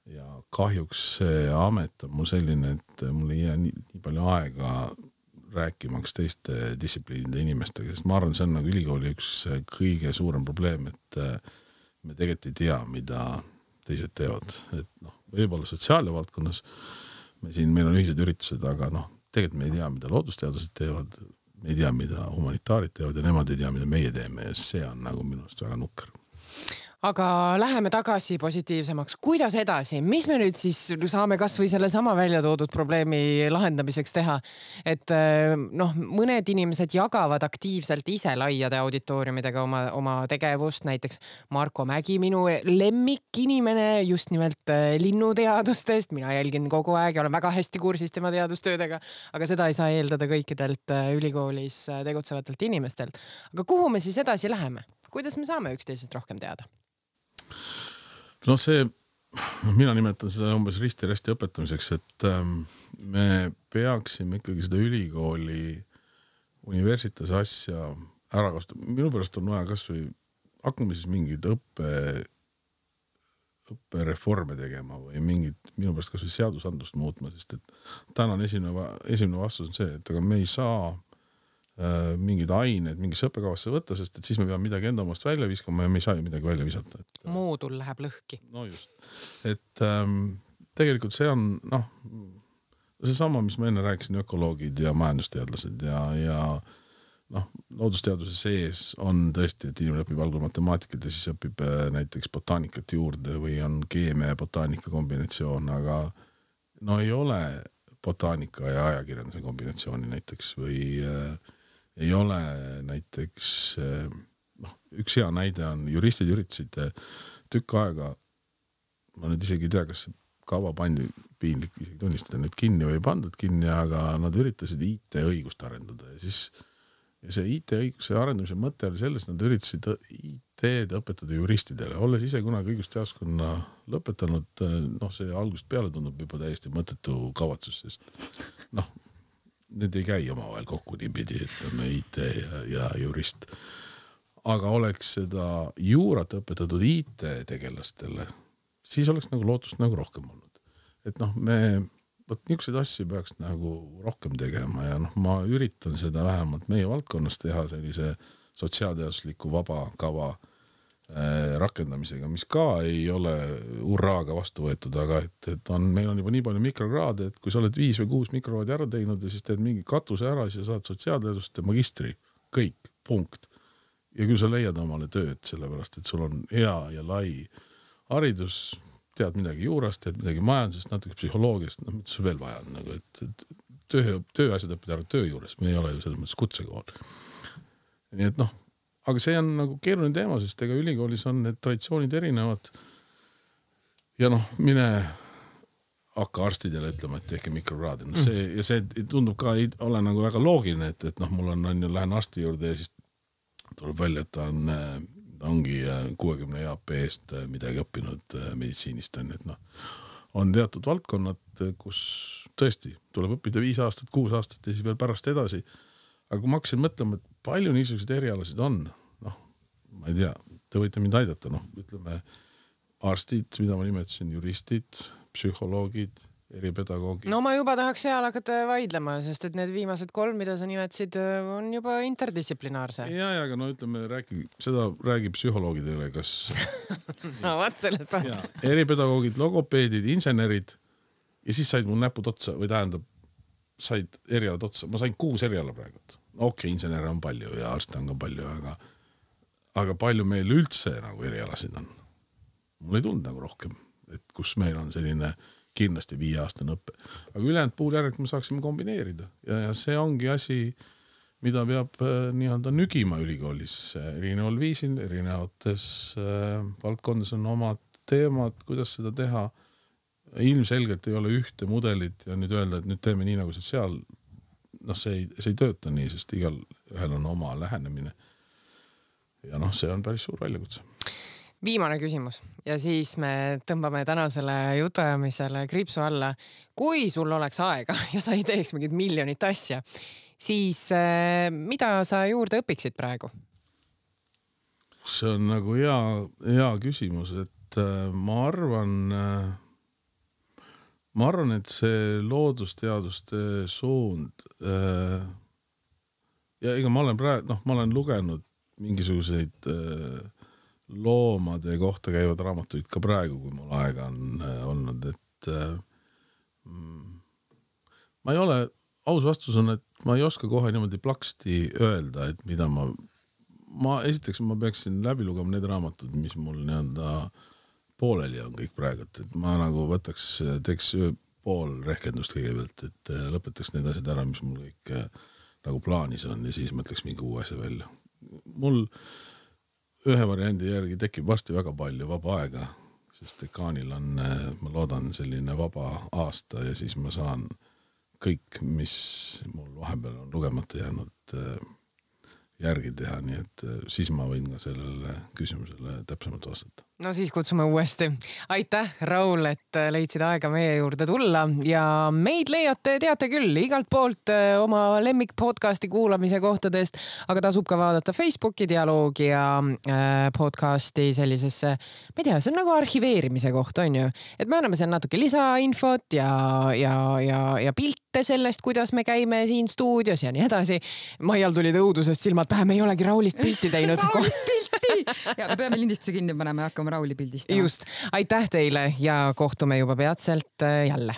ja kahjuks see amet on mul selline, et mul ei jää nii palju aega rääkimaks teiste distsipliinide inimestega, sest ma arvan, see on nagu ülikooli üks kõige suurem probleem, et me tegelikult ei tea, mida teised teevad. Et võib-olla sotsiaalia valdkonnas meil on ühised üritused, aga tegelikult me ei tea, mida loodusteadlased teevad, me ei tea, mida humanitaarid teevad ja nemad ei tea, mida meie teeme ja see on nagu minu arust väga nukker. Aga läheme tagasi positiivsemaks. Kuidas edasi? Mis me nüüd siis saame kas või selle sama välja toodud probleemi lahendamiseks teha? Et mõned inimesed jagavad aktiivselt ise laiade auditooriumidega oma tegevust. Näiteks Marko Mägi, minu lemmik inimene just nimelt linnuteadustest. Mina jälgin kogu aeg ja olen väga hästi kursis tema teadustöödega, aga seda ei saa eeldada kõikidelt ülikoolis tegutsevatelt inimestelt. Aga kuhu me siis edasi läheme? Kuidas me saame üksteisest rohkem teada? Mina nimetan seda umbes risti-resti õpetamiseks, et me peaksime ikkagi seda ülikooli universitasi asja ära kasutada. Minu pärast on vaja kas või hakkame siis mingid õppereforme tegema või minu pärast kas või seadusandlust muutma, sest et tänan esimene vastus on see, et aga me ei saa mingid ained mingisse õppekavasse võtta, sest et siis me peame midagi enda omast välja viskama ja me ei saa ju midagi välja visata. Moodul läheb lõhki. No just. Et tegelikult see on see sama, mis ma enne rääkisin, ökoloogid ja majandusteadlased ja loodusteaduse sees on tõesti, et inimene õpib algul matemaatikat ja siis õpib näiteks botaanikat juurde või on keemia ja botaanika kombinatsioon, aga ei ole botaanika ja ajakirjanduse kombinatsiooni näiteks või ei ole näiteks, üks hea näide on juristid üritasid tükk aega, ma nüüd isegi ei tea, kas see kava pandi piinlik isegi tunnistada nüüd kinni või ei pandud kinni, aga nad üritasid IT-õigust arendada ja see IT-õiguse arendamise mõte oli selles, nad üritasid IT-d õpetada juristidele, olles ise kunagi õigusteaduskonna lõpetanud, see algusest peale tundub juba täiesti mõttetu kavatsus, sest need ei käi omavahel kokku niipidi, et on IT ja jurist. Aga oleks seda juurat õpetatud IT-tegelastele, siis oleks nagu lootust nagu rohkem olnud. Et niisuguseid asju peaks nagu rohkem tegema ja ma üritan seda vähemalt meie valdkonnas teha sellise sotsiaalteadusliku vaba kava rakendamisega, mis ka ei ole urraaga vastu võetud, aga et meil on juba nii palju mikrokraade, et kui sa oled 5 või 6 mikrokraadi ära teinud ja siis teed mingi katuse ära, siis saad sotsiaalteaduste magistri, kõik, punkt. Ja küll sa leiad omale tööd, sellepärast, et sul on hea ja lai haridus, tead midagi juurast, tead midagi majandusest, natuke psühholoogiast, mida sul veel vaja on, nagu, et tööasjad õppida ära töö juures, me ei ole ju selles mõttes kutsekool. Nii et aga see on nagu keeruline teema, sest ega ülikoolis on need traditsioonid erinevad ja mine hakka arstidele ütlema, et tehke mikrokraadi. See tundub ka ei ole nagu väga loogiline, et mul on lähen arsti juurde ja siis tuleb välja, et ta ongi 60 EAP eest midagi õppinud meditsiinist. On teatud valdkonnad, kus tõesti tuleb õppida 5 aastat, 6 aastat ja siis veel pärast edasi. Aga kui ma hakkasin mõtlema, et palju niisuguseid erialasid on, ma ei tea, te võite mind aidata, ütleme arstid, mida ma nimetasin, juristid, psühholoogid, eripedagoogid. Ma juba tahaks seal hakata vaidlema, sest et need viimased 3, mida sa nimetasid, on juba interdistsiplinaarse. Ja, aga ütleme, seda räägib psühholoogidele, kas... Vaat sellest on. Eripedagoogid, logopeedid, insenerid ja siis said mul näpud otsa või tähendab, said erialad otsa. Ma sain 6 eriala praegu. Okei, insenere on palju ja arste on ka palju, aga palju meil üldse nagu erialasid on. Mul ei tulnud nagu rohkem, et kus meil on selline kindlasti 5-aastane õppe. Aga ülejäänud puhul järelikult me saaksime kombineerida ja see ongi asi, mida peab nii-öelda nügima ülikoolis erineval viisil, erinevates valdkondades on omad teemad, kuidas seda teha. Ilmselgelt ei ole ühte mudelit ja nüüd öelda, et nüüd teeme nii nagu seal, see ei tööta nii, sest igal ühel on oma lähenemine. Ja see on päris suur väljakutse. Viimane küsimus ja siis me tõmbame tänasele jutuajamisele kriipsu alla. Kui sul oleks aega ja sa ei teeks mingit miljonit asja, siis mida sa juurde õpiksid praegu? See on nagu hea küsimus, et ma arvan, et see loodusteaduste suund ja ega ma olen lugenud mingisuguseid loomade kohta käivad raamatuid ka praegu, kui mul aega on olnud, et ma ei ole, aus vastus on, et ma ei oska kohe niimoodi plaksti öelda, et mida esiteks ma peaksin läbi lugema need raamatud, mis mul nii-öelda pooleli on kõik praegu, et ma nagu teeks pool rehkendust kõigepealt, et lõpetaks need asjad ära, mis mul kõik nagu plaanis on ja siis mõtleks mingi uue asja välja. Mul ühe variandi järgi tekib varsti väga palju vaba aega, sest dekaanil on, ma loodan, selline vaba aasta ja siis ma saan kõik, mis mul vahepeal on lugemata jäänud järgi teha, nii et siis ma võin ka sellele küsimusele täpsemalt vastata. No siis kutsume uuesti. Aitäh, Raul, et leidsid aega meie juurde tulla ja meid leiate, teate küll, igalt poolt oma lemmik podcasti kuulamise kohtadest, aga tasub ka vaadata Facebooki dialoogi ja podcasti sellisesse, ma ei tea, see on nagu arhiveerimise koht, on ju, et me anname seal natuke lisainfot ja pilte sellest, kuidas me käime siin stuudios ja nii edasi. Maial tuli õudusest silmad pähe, me ei olegi Raulist pilti teinud. Raulist pilti! Ja me peame lindistuse kinni panema ja hakkame Rauli pildistama. Just, aitäh teile ja kohtume juba peatselt jälle.